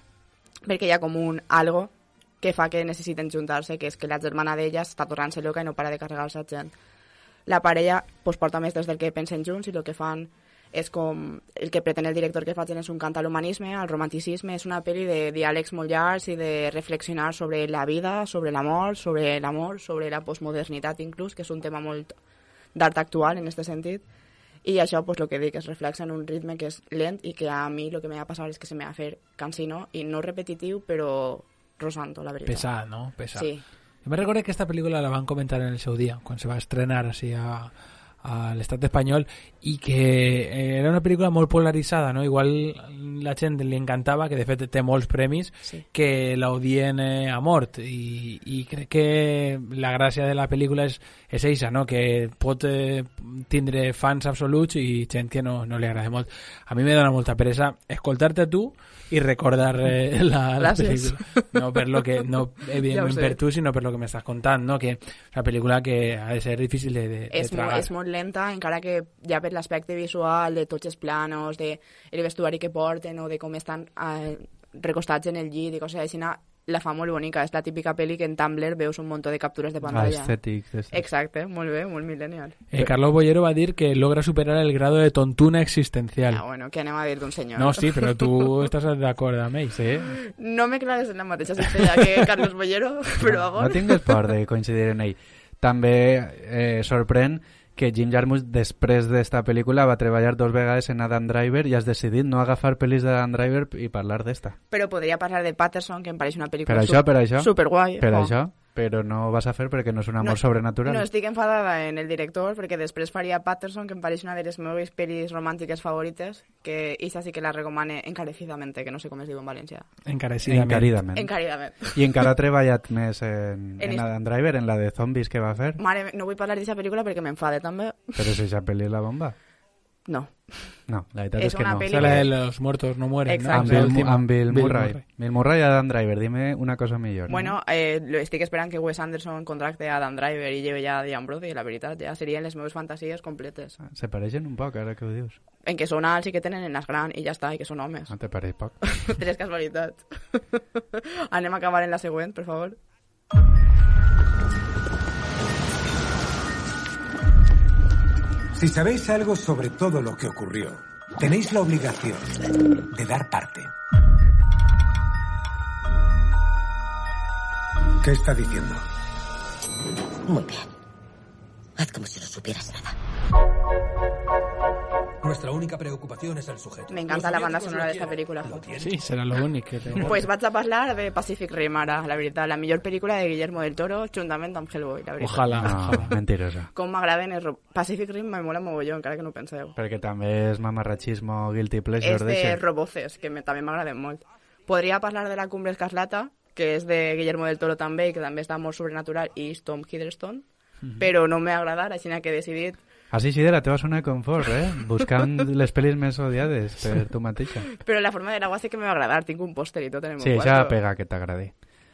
Perquè hi ha com un algo que fa que necessiten juntar-se, que és que la germana d'ella està tornant-se loca i no para de carregar-se a gent. La parella pues, porta més des del que pensen junts i el que fan és com... El que pretén el director que facin és un cant a l'humanisme, al romanticisme. És una pel·li de diàlegs molt llargs i de reflexionar sobre la vida, sobre l'amor, sobre l'amor, sobre la postmodernitat inclús, que és un tema molt d'art actual en aquest sentit, i això, pues, el que dic, es reflexa en un ritme que és lent i que a mi el que m'ha de passar és que se m'ha de fer cansino i no repetitiu, però rosanto, la veritat. Pesat, no? Pesat. Sí. Jo me recordo que esta pel·lícula la van comentar en el seu dia, quan se va estrenar així a, a l'estat espanyol, i que era una pel·lícula molt polaritzada, no? Igual la gent li encantava, que de fet té molts premis, sí, que l'odien eh, a mort, i, i crec que la gràcia de la pel·lícula és, és eixa, no? Que pot eh, tindre fans absoluts i gent que no, no li agrada molt. A mi me dona molta peresa escoltar-te tu i recordar eh, la, la pel·lícula. No, per lo que, no evidentment ja per tu, sinó per lo que m'estàs contant, no? Que és una pel·lícula que ha de ser difícil de, de, és de tragar. Molt, és molt lenta, encara que ja per l'aspecte visual, de tots els planos, de el vestuari que porten o de com estan eh, recostats en el llit i coses així, la fa molt bonica. És la típica pel·li que en Tumblr veus un munt de captures de pantalla. Aesthetics. Exacte, molt bé, molt millennial. Eh, Carlos Bollero va dir que logra superar el grado de tontuna existencial. Ah, bueno, què anem a dir d'un senyor? No, sí, però tu estàs d'acord amb ell, sí? No me clares en la mateixa cistella que Carlos Bollero, però no, no tingues por de coincidir en ell. També eh, sorprèn que Jim Jarmusch, després d'esta pel·lícula, va treballar dos vegades en Adam Driver i has decidit no agafar pel·lis d'Adam Driver i parlar d'esta. Però podria parlar de Patterson, que em pareix una pel·lícula per això, per això, superguai. Per oh. això, però no ho vas a fer perquè no és un amor no, sobrenatural. No estic enfadada en el director, perquè després faria Patterson, que em pareix una de les meves pel·lis romàntiques favorites, que esta sí que la recomane encarecidamente, que no sé com es diu en valencià. Encarecidament. Encaridament. Encaridament. I encara ha treballat més en, en, en Adam Driver, en la de zombies que va fer. Mare, no vull parlar d'aquesta pel·lícula perquè m'enfade també. Però si aquesta pel·li la bomba. No. No, la veritat és, és que no. Es la de los muertos no mueren, exacte, ¿no? Amb Bill, amb Bill, Bill Murray. Murray. Bill Murray i Adam Driver, dime una cosa millor. Bueno, eh, estic esperant que Wes Anderson contracte a Adam Driver i lleve ja a Diane Brody, la veritat, ja serien les meves fantasies completes. Se pareixen un poc, ara que ho dius. En que són alts i que tenen el nas gran i ja està, i que són homes. No te pareix poc? Tres casualitats. Anem a acabar en la següent, per favor. Si sabéis algo sobre todo lo que ocurrió, tenéis la obligación de dar parte. ¿Qué está diciendo? Muy bien. Haz como si no supieras nada. Nuestra única preocupación es el sujeto. Me encanta la banda sonora d'esta pel·lícula. Sí, serà l'únic que té. Pues vaig a parlar de Pacific Rim ara, la veritat. La millor pel·lícula de Guillermo del Toro, juntament amb Hellboy, la veritat. Ojalà, no, ojalà. Mentirosa. Com m'agraden els... Ro... Pacific Rim me mola mogolló, encara que no ho penseu. Perquè també és mamarrachismo, guilty pleasure. És de Roboces, que me, també m'agraden molt. Podria parlar de La Cumbre Escarlata, que és de Guillermo del Toro també, i que també està molt sobrenatural, i és Tom Hiddleston. mm-hmm. però no m'ha agradat, així que he decidit... Així sí de la teva zona de confort, eh? Buscant les pel·lis més odiades per tu mateixa. Però la forma de l'agua sí que m'ha agradat, tinc un pòster i tot en el meu sí, quarto. Sí, això pega que t'agradi.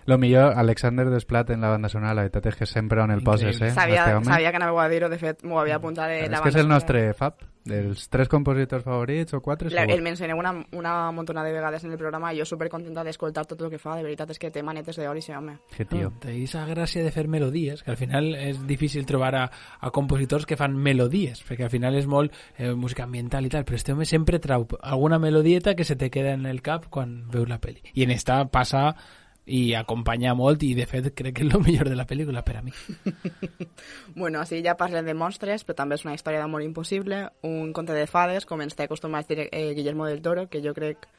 Lo millor, Alexander Desplat en la banda sonora, la veritat és que sempre on el poses, eh? Sabia, sabia que anava a dir-ho, de fet, m'ho havia apuntat de la banda sonora. És que és el nostre fab, dels tres compositors favorits o quatre, segur. El mencioneu una, una montona de vegades en el programa i jo supercontenta d'escoltar tot el que fa, de veritat és que té manetes d'or i sí, home. Que tio. No, té aquesta gràcia de fer melodies, que al final és difícil trobar a, a compositors que fan melodies, perquè al final és molt eh, música ambiental i tal, però este home sempre trau alguna melodieta que se te queda en el cap quan veus la pel·li. I en esta passa... i acompanya molt i de fet crec que és el millor de la pel·lícula per a mi. Bueno, així ja parlem de monstres, però també és una història d'amor impossible, un conte de fades, com ens té acostumat a dir eh, Guillermo del Toro, que jo crec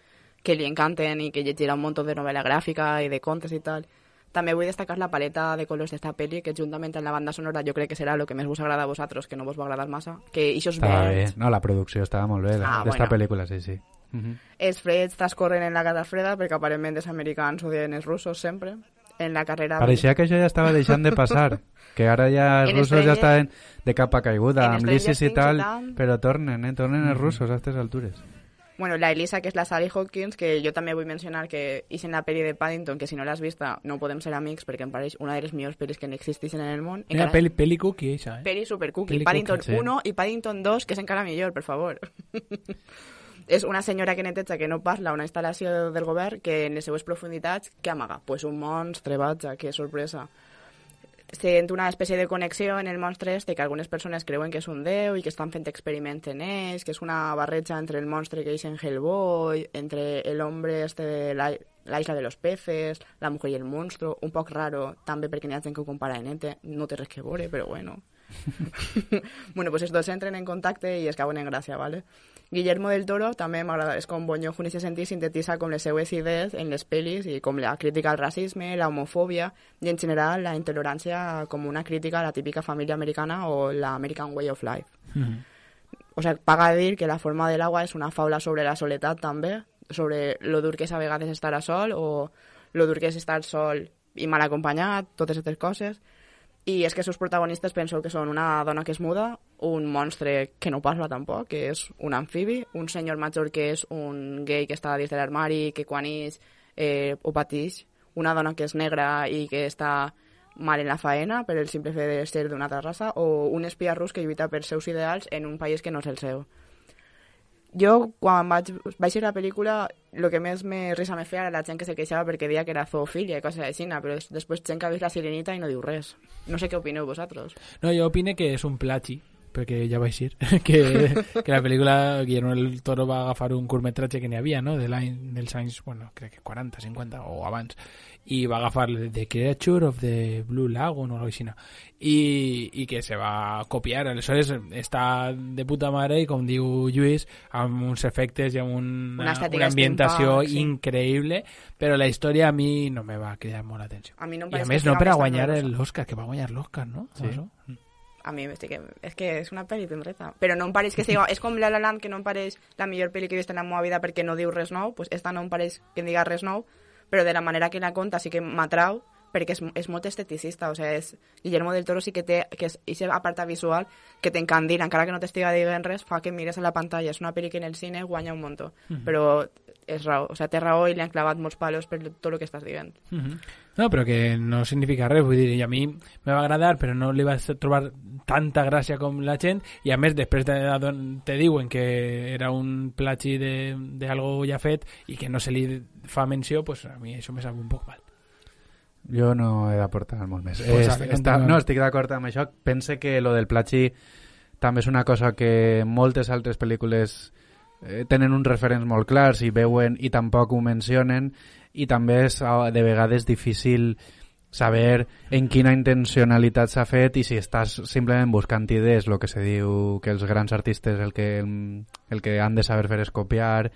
que li encanten i que llegirà un munt de novel·la gràfica i de contes i tal. També vull destacar la paleta de colors d'esta pel·li, que juntament amb la banda sonora jo crec que serà el que més vos agrada a vosaltres, que no vos va agradar massa. Que ixos estava verds... bé, no, la producció estava molt bé ah, d'esta bueno. pel·lícula, sí, sí. Uh-huh. Els freds transcorren en la Guerra Freda perquè aparentment els americans odien els russos sempre en la carrera... Pareixia que això ja estava deixant de passar, que ara ja els russos Stranger... ja estaven de capa caiguda amb l'ISIS i tal, però tornen, eh? tornen els russos a aquestes altures. Bueno, la Elisa, que és la Sally Hawkins, que jo també vull mencionar que és en la pel·li de Paddington, que si no l'has vista no podem ser amics perquè em pareix una de les millors pel·lis que existeixen en el món. Mira, peli, peli cookie, això, eh? Peli super cookie. Peli Paddington cookie, sí. uno i Paddington dos, que és encara millor, per favor. És una senyora que neteja que no parla, una instal·lació del govern que en les seues profunditats, què amaga? Pues un monstre, vaja, que sorpresa. Sent una espècie de connexió en el monstre este que algunes persones creuen que és un déu i que estan fent experiments en ells, que és una barreja entre el monstre que és en Hellboy, entre el hombre este de la, la isla de los peces, la mujer i el monstruo, un poc raro, també perquè n'hi ha gent que ho compara en Ete, no té res que veure, però bueno. Bueno, pues els dos entren en contacte i es cauen en gràcia, ¿vale? Guillermo del Toro també m'agrada, és com Bonyojo en aquest sentit, sintetitza com les seues idees en les pel·lis i com la crítica al racisme, la homofòbia i en general la intolerància com una crítica a la típica família americana o la American Way of Life. Mm-hmm. O sea, paga a dir que La forma del agua és una faula sobre la soledat també, sobre lo dur que és a vegades estar a sol o lo dur que és estar sol i mal acompanyat, totes aquestes coses. I és que els seus protagonistes penso que són una dona que és muda, un monstre que no parla tampoc, que és un amfibi, un senyor major que és un gay que està dins de l'armari, que quan ix eh, ho patix, una dona que és negra i que està mal en la faena per el simple fet de ser d'una altra raça, o un espia rus que lluita per seus ideals en un país que no és el seu. Jo, quan vaig, vaig veure la pel·lícula, el que més me risa me feia era la gent que se queixava perquè deia que era zoofilia i coses així, però després gent que ha vist La Sirenita i no diu res. No sé què opineu vosaltres. No, jo opine que és un plagi, perquè ja vaig dir que, que la pel·lícula Guillermo del Toro va agafar un curtmetratge que n'hi havia, no?, de l'any, dels anys, bueno, crec que quaranta, cinquanta o abans, i va agafar The Creature of the Blue Lagoon o alguna cosa així, i, i que se va copiar. Aleshores està de puta mare i, com diu Lluís, amb uns efectes i amb una, una, una ambientació sí. increïble, però la història a mi no me va cridar molt l'atenció. A mi no em I a més no per a guanyar l'Oscar, que va guanyar l'Oscar, no? Sí. A mi sí que, és que és una pel·li tendreta, però no em pareix que sigui, és com La La Land, que no em pareix la millor pel·li que he vist en la meva vida perquè no diu res nou, pues esta no em pareix que em diga res nou, però de la manera que la conta sí que m'atrau, perquè és, és molt esteticista, o sea, és, Guillermo del Toro sí que té, que és aquest apartat visual que t'encandila, encara que no t'estiga dient res, fa que mires a la pantalla, és una pel·li que en el cine guanya un muntó, mm-hmm. però és raó, o sea, té raó i li han clavat molts palos per tot el que estàs dient. Mm-hmm. No, però que no significa res, vull dir, i a mi me va agradar, però no li va trobar tanta gràcia com la gent, i a més després te, te diuen que era un plagi d'algo ja fet i que no se li fa menció, pues a mi això me sap un poc mal. Jo no he d'aportar molt més. Pues es, està, no, estic d'acord amb això. Pense que lo del plagi també és una cosa que moltes altres pel·lícules eh, tenen uns referents molt clars i veuen i tampoc ho mencionen, i també és de vegades difícil saber en quina intencionalitat s'ha fet i si estàs simplement buscant idees, el que se diu que els grans artistes el que, el, el que han de saber fer és copiar.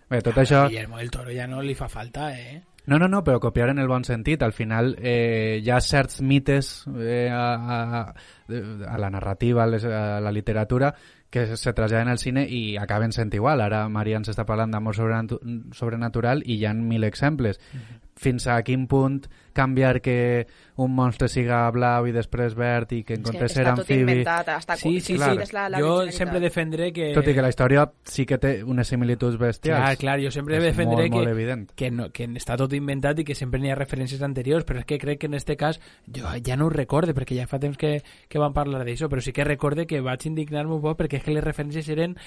Bé, tot ah, això... Guillermo del Toro ja no li fa falta, eh? No, no, no, però copiar en el bon sentit. Al final eh, hi ha certs mites eh, a, a, a la narrativa, a, les, a la literatura, que se traslladen al cine i acaben sent igual. Ara Maria ens està parlant d'amor sobrenatu sobrenatural i hi ha mil exemples. Mm-hmm. Fins a quin punt canviar que un monstre siga blau i després verd i que en comptes ser amfibi... Està tot inventat, està... Sí, sí, clar. sí. La, la jo sempre defendré que... Tot i que la història sí que té unes similituds bestials. Clar, clar, jo sempre defendré molt, que, molt que, no, que està tot inventat i que sempre n'hi ha referències anteriors, però és que crec que en este cas jo ja no ho recorde, perquè ja fa temps que, que vam parlar d'això, però sí que recorde que vaig indignar-me un poc perquè és que les referències eren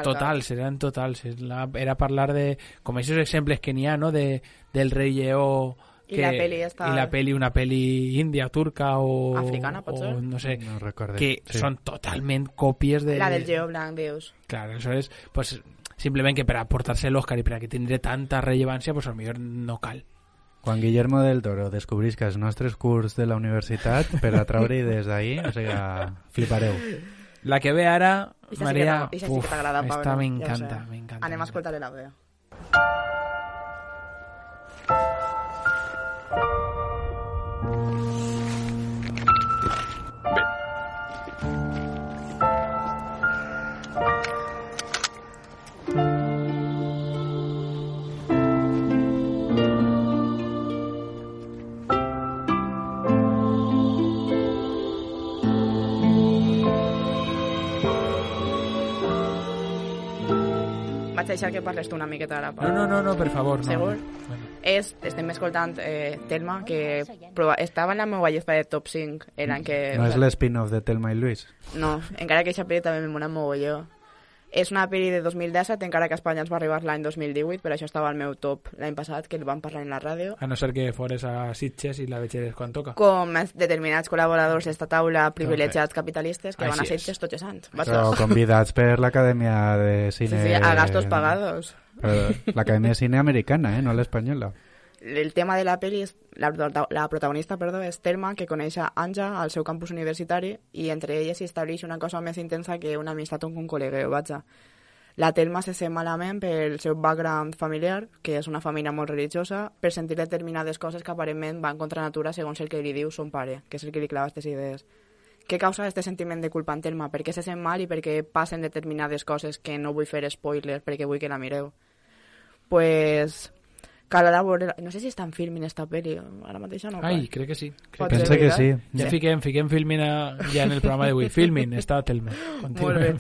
totals, eren totals. Era parlar de, com aquests exemples que n'hi ha, no?, de, del rei lleó que, I la peli està... i la peli, una peli índia, turca o... africana, pot ser? O, no sé, no recorde, que sí. són totalment còpies de... La del lleó blanc, dius. Clar, això és, pues, simplement que per aportar-se l'Òscar i per a que tindré tanta rellevància, pues, potser no cal. Quan Guillermo del Toro descobrisca els nostres curs de la universitat per atraure idees d'ahí, o sigui, flipareu. La que ve ara, Ixa Maria, sí que uf, esta m'encanta, ja m'encanta. Anem a escoltar la veu. Vaig deixar que parles tu una miqueta ara. No, no, no, no, per favor. No. Segur? Bueno. És, estem escoltant eh, Telma, que prova, estava en la meva llista de top cinc l'any que... No és l'spin-off de Telma i Luis? No, encara que aquesta pel·li també me mola mogolló. És una pel·li de dos mil disset, encara que a Espanya ens va arribar l'any dos mil divuit, per això estava al meu top l'any passat, que el vam parlar en la ràdio. A no ser que fores a Sitges i la vegeres quan toca. Com determinats col·laboradors d'esta taula privilegiats capitalistes que Així van a Sitges és. tots els anys. Però convidats per l'Acadèmia de Cine... Sí, sí, a gastos pagados. L'Acadèmia de Cine americana, eh, no l'espanyola. El tema de la pel·li és la, la protagonista, perdó, és Telma, que coneix a Anja al seu campus universitari i entre elles s'hi estableix una cosa més intensa que una amistat amb un col·legueu, vaja. La Telma se sent malament pel seu background familiar, que és una família molt religiosa, per sentir determinades coses que aparentment van contra natura segons el que li diu son pare, que és el que li clava aquestes idees. Què causa aquest sentiment de culpa en Telma? Per què se sent mal i per què passen determinades coses que no vull fer spoiler perquè vull que la mireu? Pues... Cal a veure... No sé si estan filming esta pel·li, ara mateix no. Ai, crec que sí. Crec Pensa que sí. Ja sí. fiquem, fiquem filming a, ja en el programa d'avui. Filming, està Telma. Molt bé.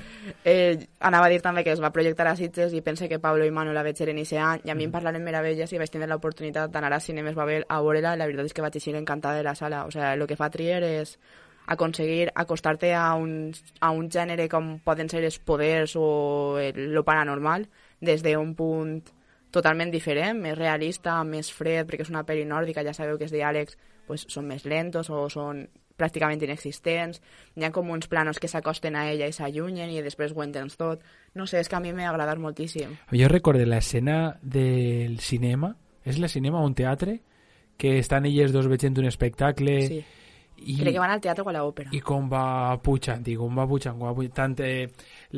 Eh, anava a dir també que es va projectar a Sitges i pense que Pablo i Manu la veig en aquest any i a mi em parlaren meravelles i vaig tenir l'oportunitat d'anar a Cinemes Babel a veure-la i la veritat és que vaig eixir encantada de la sala. O sea, el que fa Trier és aconseguir acostar-te a un, a un gènere com poden ser els poders o el, lo paranormal des d'un punt totalment diferent, més realista, més fred, perquè és una pel·li nòrdica, ja sabeu que els diàlegs pues, són més lentos o són pràcticament inexistents, hi ha com uns planos que s'acosten a ella i s'allunyen i després ho entens tot. No sé, és que a mi m'ha agradat moltíssim. Jo recordo l'escena del cinema, és la cinema o un teatre, que estan elles dos veient un espectacle... Sí. I, crec que van al teatre o a l'òpera. I com va pujant, i com va pujant, com va pujant tant eh,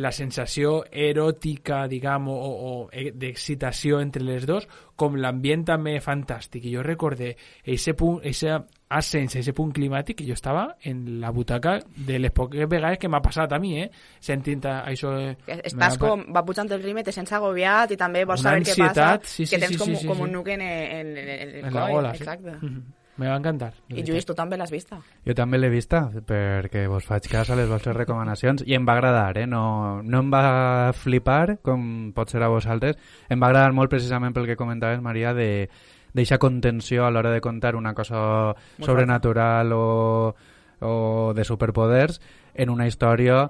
la sensació eròtica, diguem, o, o d'excitació entre les dos, com l'ambient també fantàstic. I jo recordé ese punt, ese ascens, ese punt climàtic, que jo estava en la butaca de les poques vegades que m'ha passat a mi, eh? Sentint això... Eh, Estàs com, va pujant el ritme, te sents agobiat i també vols saber què passa, sí, sí, que tens sí, com, sí, sí, com sí. un nuc en, en, en, en, en la gola. Exacte. Sí. Mm-hmm. Me va encantar. I Lluís, tu també l'has vista? Jo també l'he vista, perquè vos faig cas a les vostres recomanacions i em va agradar, eh? No, no em va flipar, com pot ser a vosaltres. Em va agradar molt precisament pel que comentaves, Maria, de d'eixa contenció a l'hora de contar una cosa molt sobrenatural o, o de superpoders en una història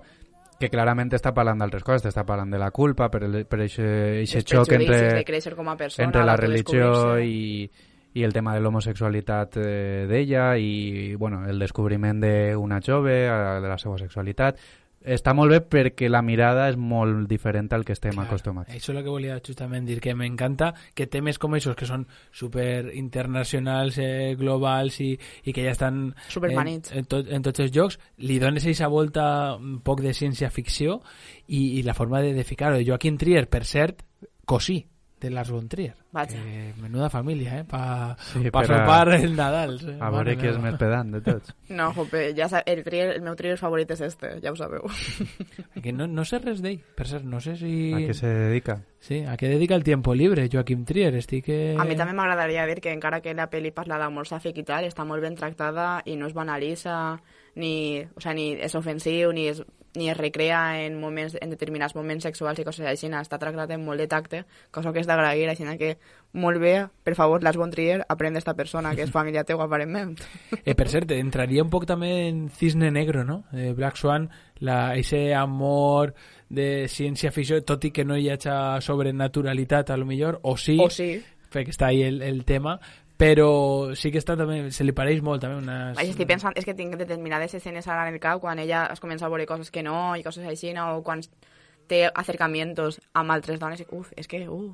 que clarament està parlant d'altres coses, està parlant de la culpa, per aquest xoc entre, persona, entre la religió i i el tema de l'homosexualitat eh, d'ella i bueno, el descobriment d'una jove, de la seva sexualitat. Està molt bé perquè la mirada és molt diferent al que estem claro, acostumats. Això és el que volia justament dir, que m'encanta que temes com aquests, que són super internacionals, eh, globals i, i que ja estan en, en, tot, en tots els jocs, li dones aquesta volta un poc de ciència-ficció i, i la forma de, de ficar-ho. Joaquim Trier, per cert, cosí de Lars von Trier. Vaja. Que menuda família, eh? Pa, Sí, pa però- sopar el Nadal. Eh? A veure qui és més pedant de tots. No, jope, ja sa- el, trier, el meu Trier favorit és este, ja ho sabeu. Que no, no sé res d'ell, per cert, no sé si... A què se dedica? Sí, a què dedica el tiempo libre, Joaquim Trier, estic... Eh... A mi també m'agradaria dir que encara que la pel·li parla d'amor sàfic i tal, està molt ben tractada i no es banalitza, ni, o sea, ni és ofensiu, ni es, ni es recrea en, moments, en determinats moments sexuals i coses així. Està tractat amb molt de tacte, cosa que és d'agrair, així que molt bé, per favor, Lars von Trier, aprèn d'esta persona, que és família teua, aparentment. Eh, per cert, entraria un poc també en Cisne Negro, no? Eh, Black Swan, la, ese amor de ciència-ficció, tot i que no hi hagi sobrenaturalitat, a lo millor, o sí, O sí. perquè està ahí el, el tema, però sí que està també, se li pareix molt també unes... Vaja, estic pensant, és que tinc determinades escenes ara en el cap quan ella es comença a veure coses que no i coses així, no? O quan té acercamientos amb altres dones i uf, és que uf.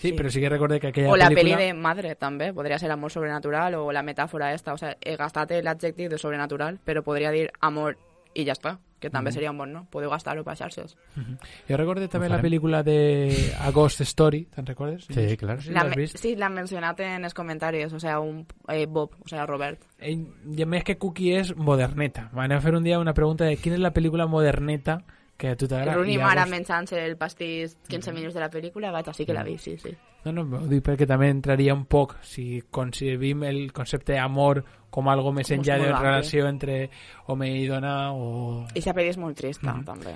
Sí, sí, però sí que recordé que aquella o la pel·lícula... pel·li de Madre també, podria ser amor sobrenatural o la metàfora esta, o sea, he gastat l'adjectiu de sobrenatural, però podria dir amor i ja està, que també Mhm. seria un bon, no? Podeu gastar-ho per xarxes. Mhm. Jo recordé també Ho la farem. pel·lícula de A Ghost Story, te'n recordes? Sí, clar. No sé si La l'has me- vist. sí, l'han mencionat en els comentaris, o sea, un eh, Bob, o sea, Robert. Eh, I a més que Cookie és moderneta. M'anem a fer un dia una pregunta de quina és la pel·lícula moderneta que a tu t'agrada. Rooney I Mara llavors- menjant-se el pastís quinze minuts de la pel·lícula, vaig, sí que la vi, sí, sí. No, no, ho dic perquè també entraria un poc si concebim el concepte d'amor com algo més Com enllà és de molt ampli. relació entre home i dona o... I la pel·li és molt trista, Mhm. també.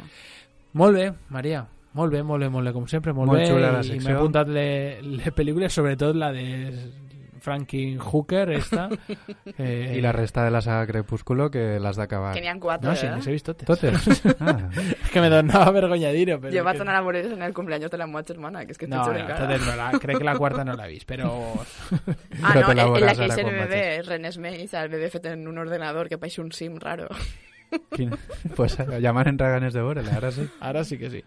Molt bé, Maria. Molt bé, molt bé, molt bé, com sempre, molt, Molt bé. xula la I secció. m'he apuntat les le pel·lícules, sobretot la de Franklin Hooker, esta. Eh, I la resta de la saga Crepúsculo que l'has d'acabar. Que n'hi ha quatre, No, sí, eh? les he vist totes. Totes? Ah. És que me donava vergonya dir-ho. però Jo és vaig que- tornar a veure en el cumpleaños de la meva germana, que és que No, t'ho no, juro encara. totes no, la, crec que la quarta no l'he vist, però... Ah, Però no, te la en, en la veuràs que ara és el quan bebè, René Smith, el bebè fet en un ordenador que pareix un sim raro. Quin... Pues ja m'han entrat ganes de veure-la, ara sí. Ara sí que sí.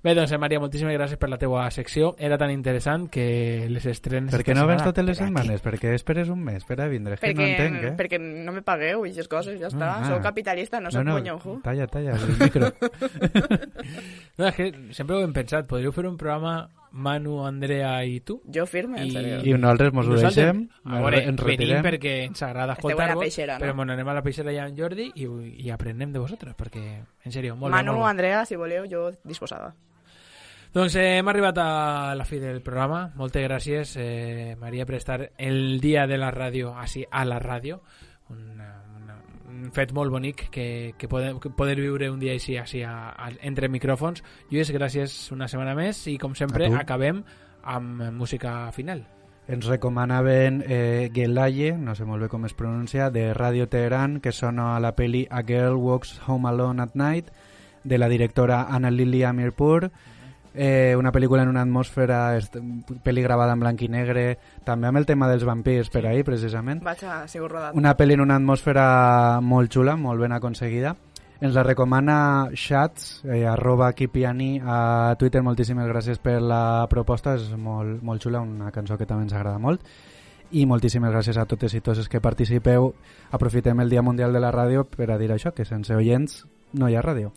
Bé, doncs, eh, Maria, moltíssimes gràcies per la teua secció. Era tan interessant que les estrenes... Per què esta no vens setmana totes les per aquí. setmanes? Per què esperes un mes per a vindre? És que no perquè, entenc, eh? perquè no me pagueu i aquestes coses, ja està. Ah. Sou capitalista, no sou no, punyonju. talla, talla, el micro. No, és que sempre ho hem pensat. Podríeu fer un programa Manu, Andrea i tu? Jo firme, en sèrio. I nosaltres mos ho nosaltres, deixem, a veure, ens venim retirem. perquè ens agrada Esteu a la escoltar-vos, peixera, no? però bueno, anem a la peixera ja amb Jordi i, i aprenem de vosaltres, perquè, en sèrio, molt Manu, bé, molt bé. Andrea, si voleu, jo disposada. Doncs eh, hem arribat a la fi del programa. Moltes gràcies, eh, Maria, per estar el dia de la ràdio així a la ràdio. Una, una, un fet molt bonic que, que, podem, que poder viure un dia així, així a, a, entre micròfons. Lluís, gràcies una setmana més i com sempre A tu. acabem amb música final. Ens recomanaven eh, Gelaye, no sé molt bé com es pronuncia, de Radio Teheran, que sona a la peli A Girl Walks Home Alone at Night, de la directora Anna Lily Amirpour. Eh, una pel·lícula en una atmosfera, est- pel·li gravada en blanc i negre, també amb el tema dels vampirs per ahí, precisament. Vaig a sigut rodat. Una pel·li en una atmosfera molt xula, molt ben aconseguida. Ens la recomana Shats, eh, arroba Kipiani a Twitter. Moltíssimes gràcies per la proposta, és molt, molt xula, una cançó que també ens agrada molt. I moltíssimes gràcies a totes i tots els que participeu. Aprofitem el Dia Mundial de la Ràdio per a dir això, que sense oients no hi ha ràdio.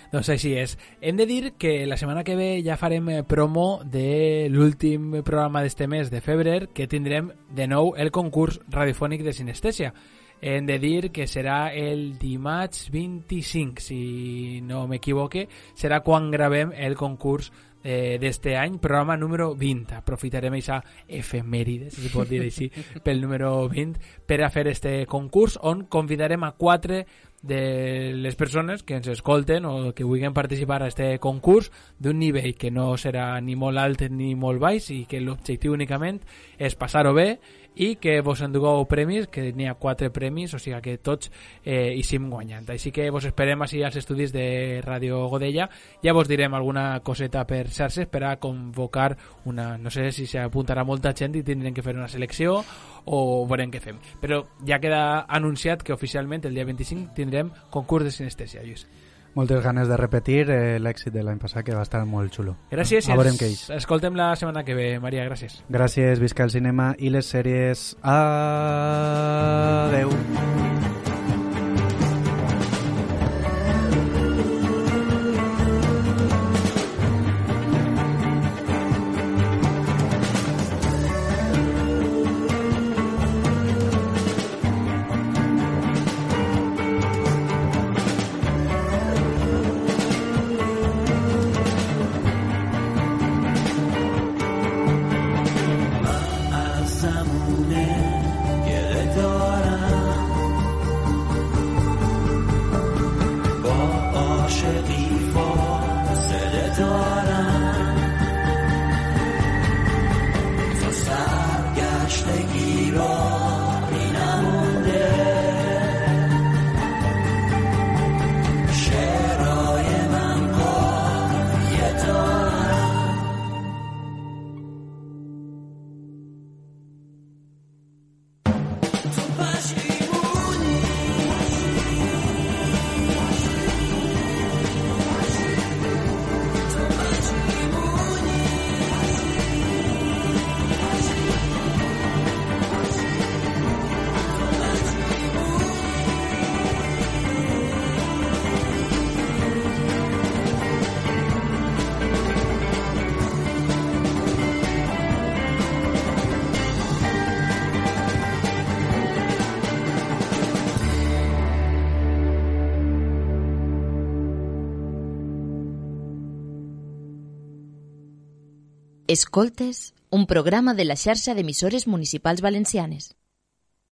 Doncs així és. Hem de dir que la setmana que ve ja farem eh, promo de l'últim programa d'este mes de febrer, que tindrem de nou el concurs radiofònic de sinestèsia. Hem de dir que serà el dimarts vint-i-cinc, si no m'equivoque, serà quan gravem el concurs eh, d'este any, programa número vint. Aprofitarem aquesta efemèride, si es pot dir així, pel número vint, per a fer este concurs, on convidarem a quatre de les persones que ens escolten o que vulguin participar a este concurs d'un nivell que no serà ni molt alt ni molt baix i que l'objectiu únicament és passar-ho bé i que vos endugueu premis, que n'hi ha quatre premis, o sigui que tots eh, hi sim guanyant. Així que vos esperem així als estudis de Ràdio Godella. Ja vos direm alguna coseta per xarxes per a convocar una... No sé si s'apuntarà molta gent i tindrem que fer una selecció o veurem què fem. Però ja queda anunciat que oficialment el dia vint-i-cinc tindrem concurs de sinestèsia, Lluís. Moltes ganes de repetir eh, l'èxit de l'any passat, que va estar molt xulo. Gràcies i A veurem ens què és. escoltem la setmana que ve, Maria, gràcies. Gràcies, visca el cinema i les sèries. Adeu. Escoltes, un programa de la xarxa d'emissores municipals valencianes.